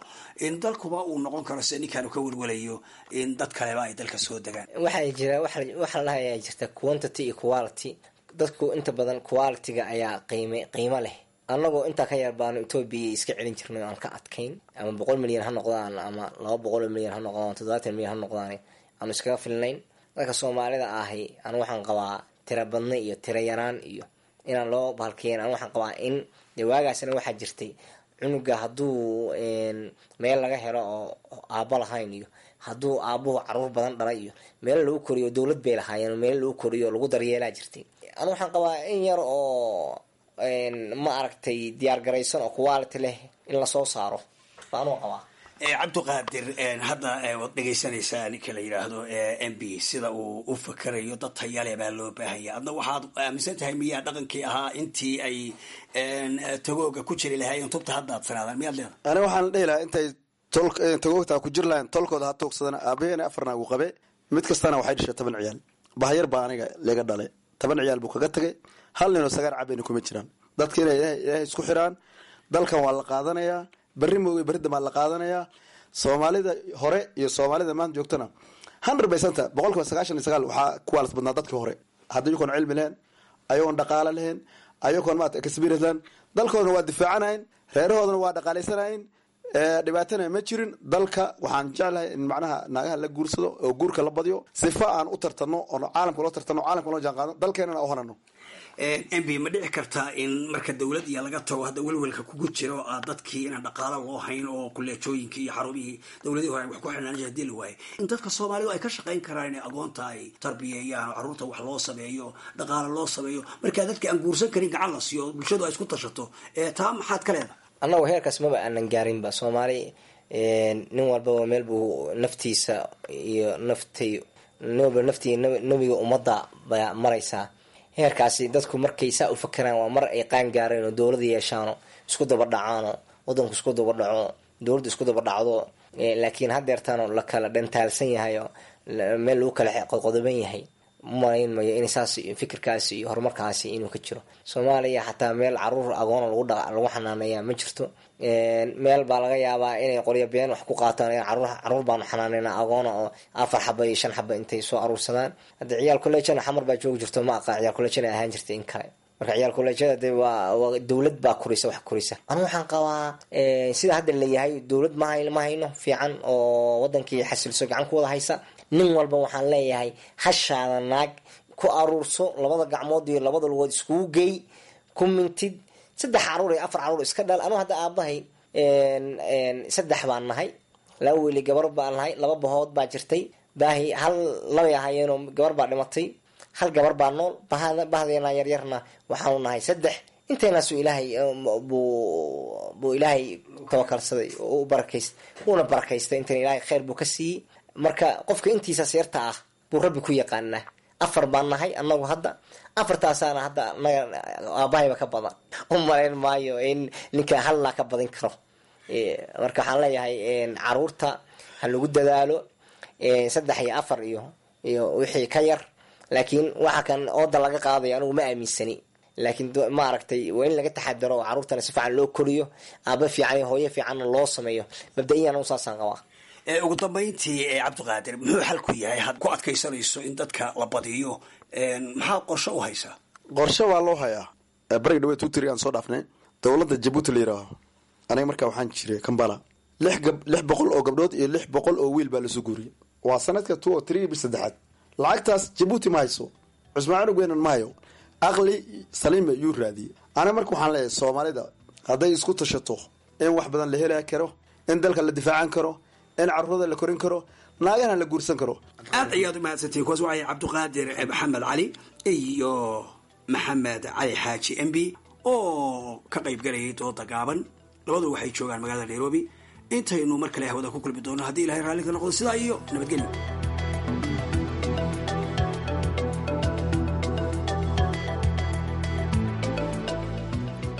in dalkuba uu noqon karo sida ninkaanu ka welwelayo, in dad kaleba ay dalka soo degaan? Waxaa jira waxaa la dhahayaa jirta quantity iyo quality. Dadku inta badan quality-ga ayaa qiime qiimo leh. Annagoo intaa ka yar baanu Etoobiya iska celin jirnay oo aan ka adkayn. Ama boqol milyan ha noqdaan, ama laba boqol milyan ha noqdaan, toddobaatan milyan ha noqdaan, aanu iskaga filnayn. Dadka Soomaalida ahi anu waxaan qabaa tira badna iyo tira yaraan iyo inaan loo bahalkeyn. Anu waxaan qabaa in dee waagaasna waxaa jirtay cunuga hadduu meel laga helo oo aabbo lahayn, iyo hadduu aabuhu caruur badan dhalay, iyo meelo lagu koriyo dowlad bay lahaayeen, meelo lagu koriyo lagu daryeelaa jirtay. Anu waxaan qabaa in yar oo ma aragtay diyaar garaysan oo quality leh in lasoo saaro baa anuu qabaa. Cabdiqaadir, hadda waad dhegaysanaysaa ninka la yidhaahdo M B sida uu u fakerayo, dad tayale baa loo baahanya. Adna waxaad aaminsan tahay miyaa dhaqankii ahaa intii ay tagooga ku jiri lahaayeen tubta hadda ad sanaadaan, miyaad leedahay? Ani waxaan dhihi lahaa intay tagoogtaa ku jiri lahayn, tolkooda ha tuugsadana. Aabaheena afarna uu qabe, mid kastana waxay dhashay toban ciyaal. Bahyar baa aniga laga dhalay, toban ciyaal buu kaga tagay, hal ninoo sagaar cabayna kuma jiraan. Dadka inay Ilaahay isku xiraan. Dalkan waa la qaadanayaa berri moogay, berri dambaa la qaadanayaa. Soomaalida hore iyo Soomaalida maanta joogtana hundred percent, boqolkiiba sagaashan iyo sagaal, waxaa kuwaalas badnaa dadkii hore. Hadda iyagoon cilmi lahayn, ayagoon dhaqaale lahayn, ayagoon maarata experience lahayn, dalkoodana waa difaacanayn, reerahoodana waa dhaqaalaysanayn, dhibaatana ma jirin. Dalka waxaan jeclahay in macnaha naagaha la guursado oo guurka la badiyo, sifa aan u tartanno oon caalamka loo tartanno, caalamka loo jaan qaadno, dalkeenana u hanano. M B, ma dhici kartaa in marka dowlad iyo laga tago hadda welwelka kugu jiro dadkii inaan dhaqaalo loo hayn oo kuleejooyinkii iyo xarumihii dowladihii hore ay wax ku xirnaan jireen hadii la waayay, in dadka Soomaalidu ay ka shaqayn karaan inay agoonta ay tarbiyeeyaan oo carruurta wax loo sameeyo, dhaqaalo loo sameeyo, markaa dadka aan guursan karin gacan la siiyo, bulshadu ay isku tashato? Taa maxaad ka leedahay? Annagu heerkaas maba aanan gaarinba. Soomaali nin walbaba meel buu naftiisa iyo naftay, nin walba naftii nebiga ummadda baa maraysaa. Heerkaasi dadku markay saa u fakeraan waa mar ay qaan gaareen oo dowlada yeeshaano, isku daba dhacaano, wadanku isku daba dhaco, dowladdu isku daba dhacdo. Laakiin haddeertaano la kala dhantaalsan yahay oo meel lagu kala qodqodoban yahay, umalayn mayo in saas fikirkaasi iyo horumarkaasi inuu ka jiro Soomaaliya. Xataa meel caruur agoona lagu dha lagu xanaaneeya ma jirto. Meel baa laga yaabaa inay qoryo been wax ku qaataan, caruur caruur baanu xanaaneyna agoona, oo afar xaba iyo shan xaba intay soo aruursadaan. Hadda ciyaal kolleejana Xamar baa joogi jirto, ma aqaan ciyaal kolleejana ahaan jirta in kale. Marka ciyaal kolleejyada dee waa waa dowlad baa korisa, wax korisa. Anu waxaan qabaa sida hadda layahay dowlad ma hay ma hayno fiican oo wadankii xasilso gacan ku wada haysa. Nin walba waxaan leeyahay hashaada naag ku aruurso, labada gacmood iyo labada lugood iskugu geey, ku mintid, saddex caruur iyo afar caruur iska dhal. Anu hadda aabahay saddex baan nahay, laba weli gabar baan nahay, laba bahood baa jirtay. Baahi hal labay ahaayeenoo gabar baa dhimatay, hal gabar baa nool. Bahdeena yaryarna waxaanu nahay saddex. Inteenaasu Ilaahay buu buu Ilaahay tawakalsaday oo u barakaystay, wuuna barakaystay intan Ilaahay kheyr buu ka siiyey. Marka qofka intiisaas yarta ah buu Rabbi ku yaqaanaa. Afar baan nahay annagu hadda, afartaasaana hadda anaga aabahayba ka badan. U malayn maayo in ninka hal naa ka badin karo. Marka waxaan leeyahay caruurta ha lagu dadaalo saddex iyo afar iyo iyo wixii ka yar, laakiin waxa kan ooda laga qaadayo anigu ma aaminsani, laakiin maaragtay waa in laga taxadaro oo caruurtana si fiican loo koriyo, aaba fiican iyo hooyo fiicanna loo sameeyo. Mabda-iyan anu saasaan qabaa. Ugu dambayntii, Cabdiqaadir, muxuu xalku yahay had ku adkaysanayso in dadka la badiyo? Maxaa qorshe u haysaa? Qorshe waa loo hayaa. Bariga dhawe tutri aan soo dhaafnay dowladda Jabuuti la yidhaaho, aniga markaa waxaan jiray Kambala, lix gab lix boqol oo gabdhood iyo lix boqol oo wiil baa lasoo guuriyey. Waa sanadka two o three bil saddexaad. Lacagtaas Jabuuti ma hayso, Cusmaan Cunug weynan ma hayo, aqli saliima yuu raadiyey. Aniga marka waxaan leeyahay, Soomaalida hadday isku tashato, in wax badan la heli karo, in dalka la difaacan karo, in carruurada la korin karo, naagana la guursan karo. Aad ayaad u mahadsantihin. Kuwaas waxay Cabdiqaadir Maxamed Cali iyo Maxamed Cali Xaaji M B oo ka qayb galayay dooda gaaban. Labadu waxay joogaan magaalada Nairobi. Intaynu mar kale hawada ku kulmi doono, haddii Ilahay raalli ka noqdo, sidaa iyo nabadgelyo.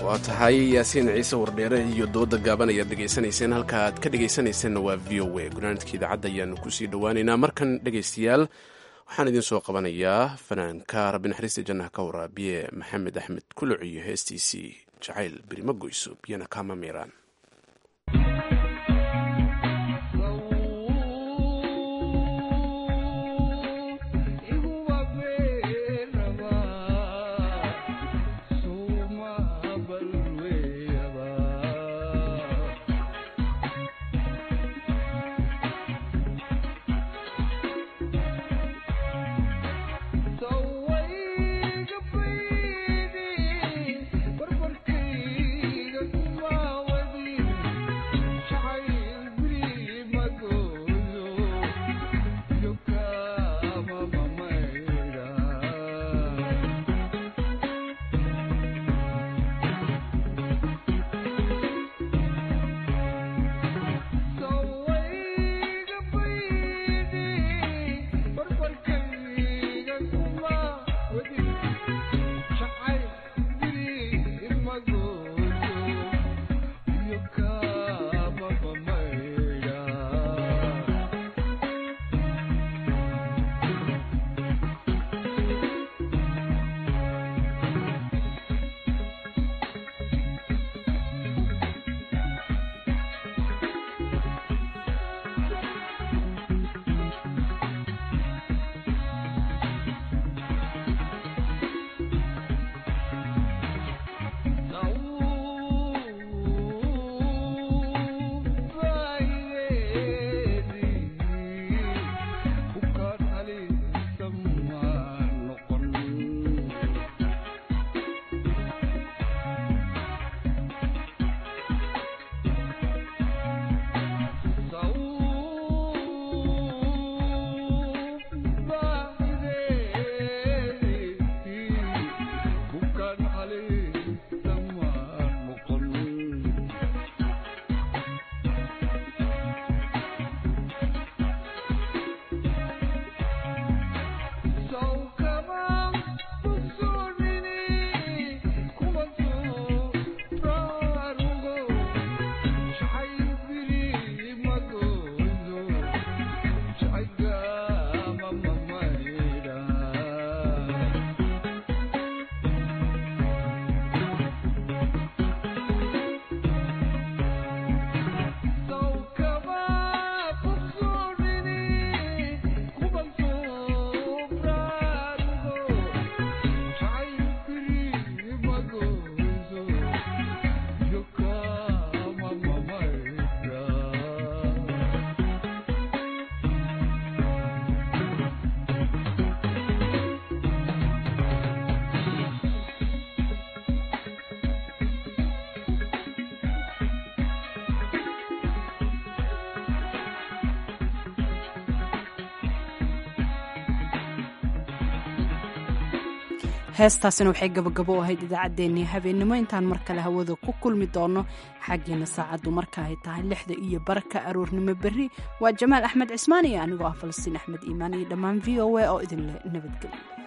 Waa tahay, Yaasiin Ciise Wardheere iyo dooda gaaban ayaad dhegaysanayseen. Halka aad ka dhegaysanayseena waa V O A. Gunaanadka idaacadda ayaanu kusii dhowaaneynaa. Markan, dhegaystayaal, waxaan idiin soo qabanayaa fanaanka rabbi naxariista jannaha ka waraabiye Maxamed Axmed Kuluc iyo heestiisii Jacayl Birima Goyso Biyana Kama Miiraan. Heestaasina waxay gabagabo u ahayd idaacaddeenii habeennimo. Intaan mar kale hawada ku kulmi doono, xaggiina saacaddu marka ay tahay lixda iyo barka aroornimo berri, waa Jamaal Axmed Cismaan iyo anigoo ah Falastiin Axmed Iimaan iyo dhammaan V O A oo idinleh nabadgelyo.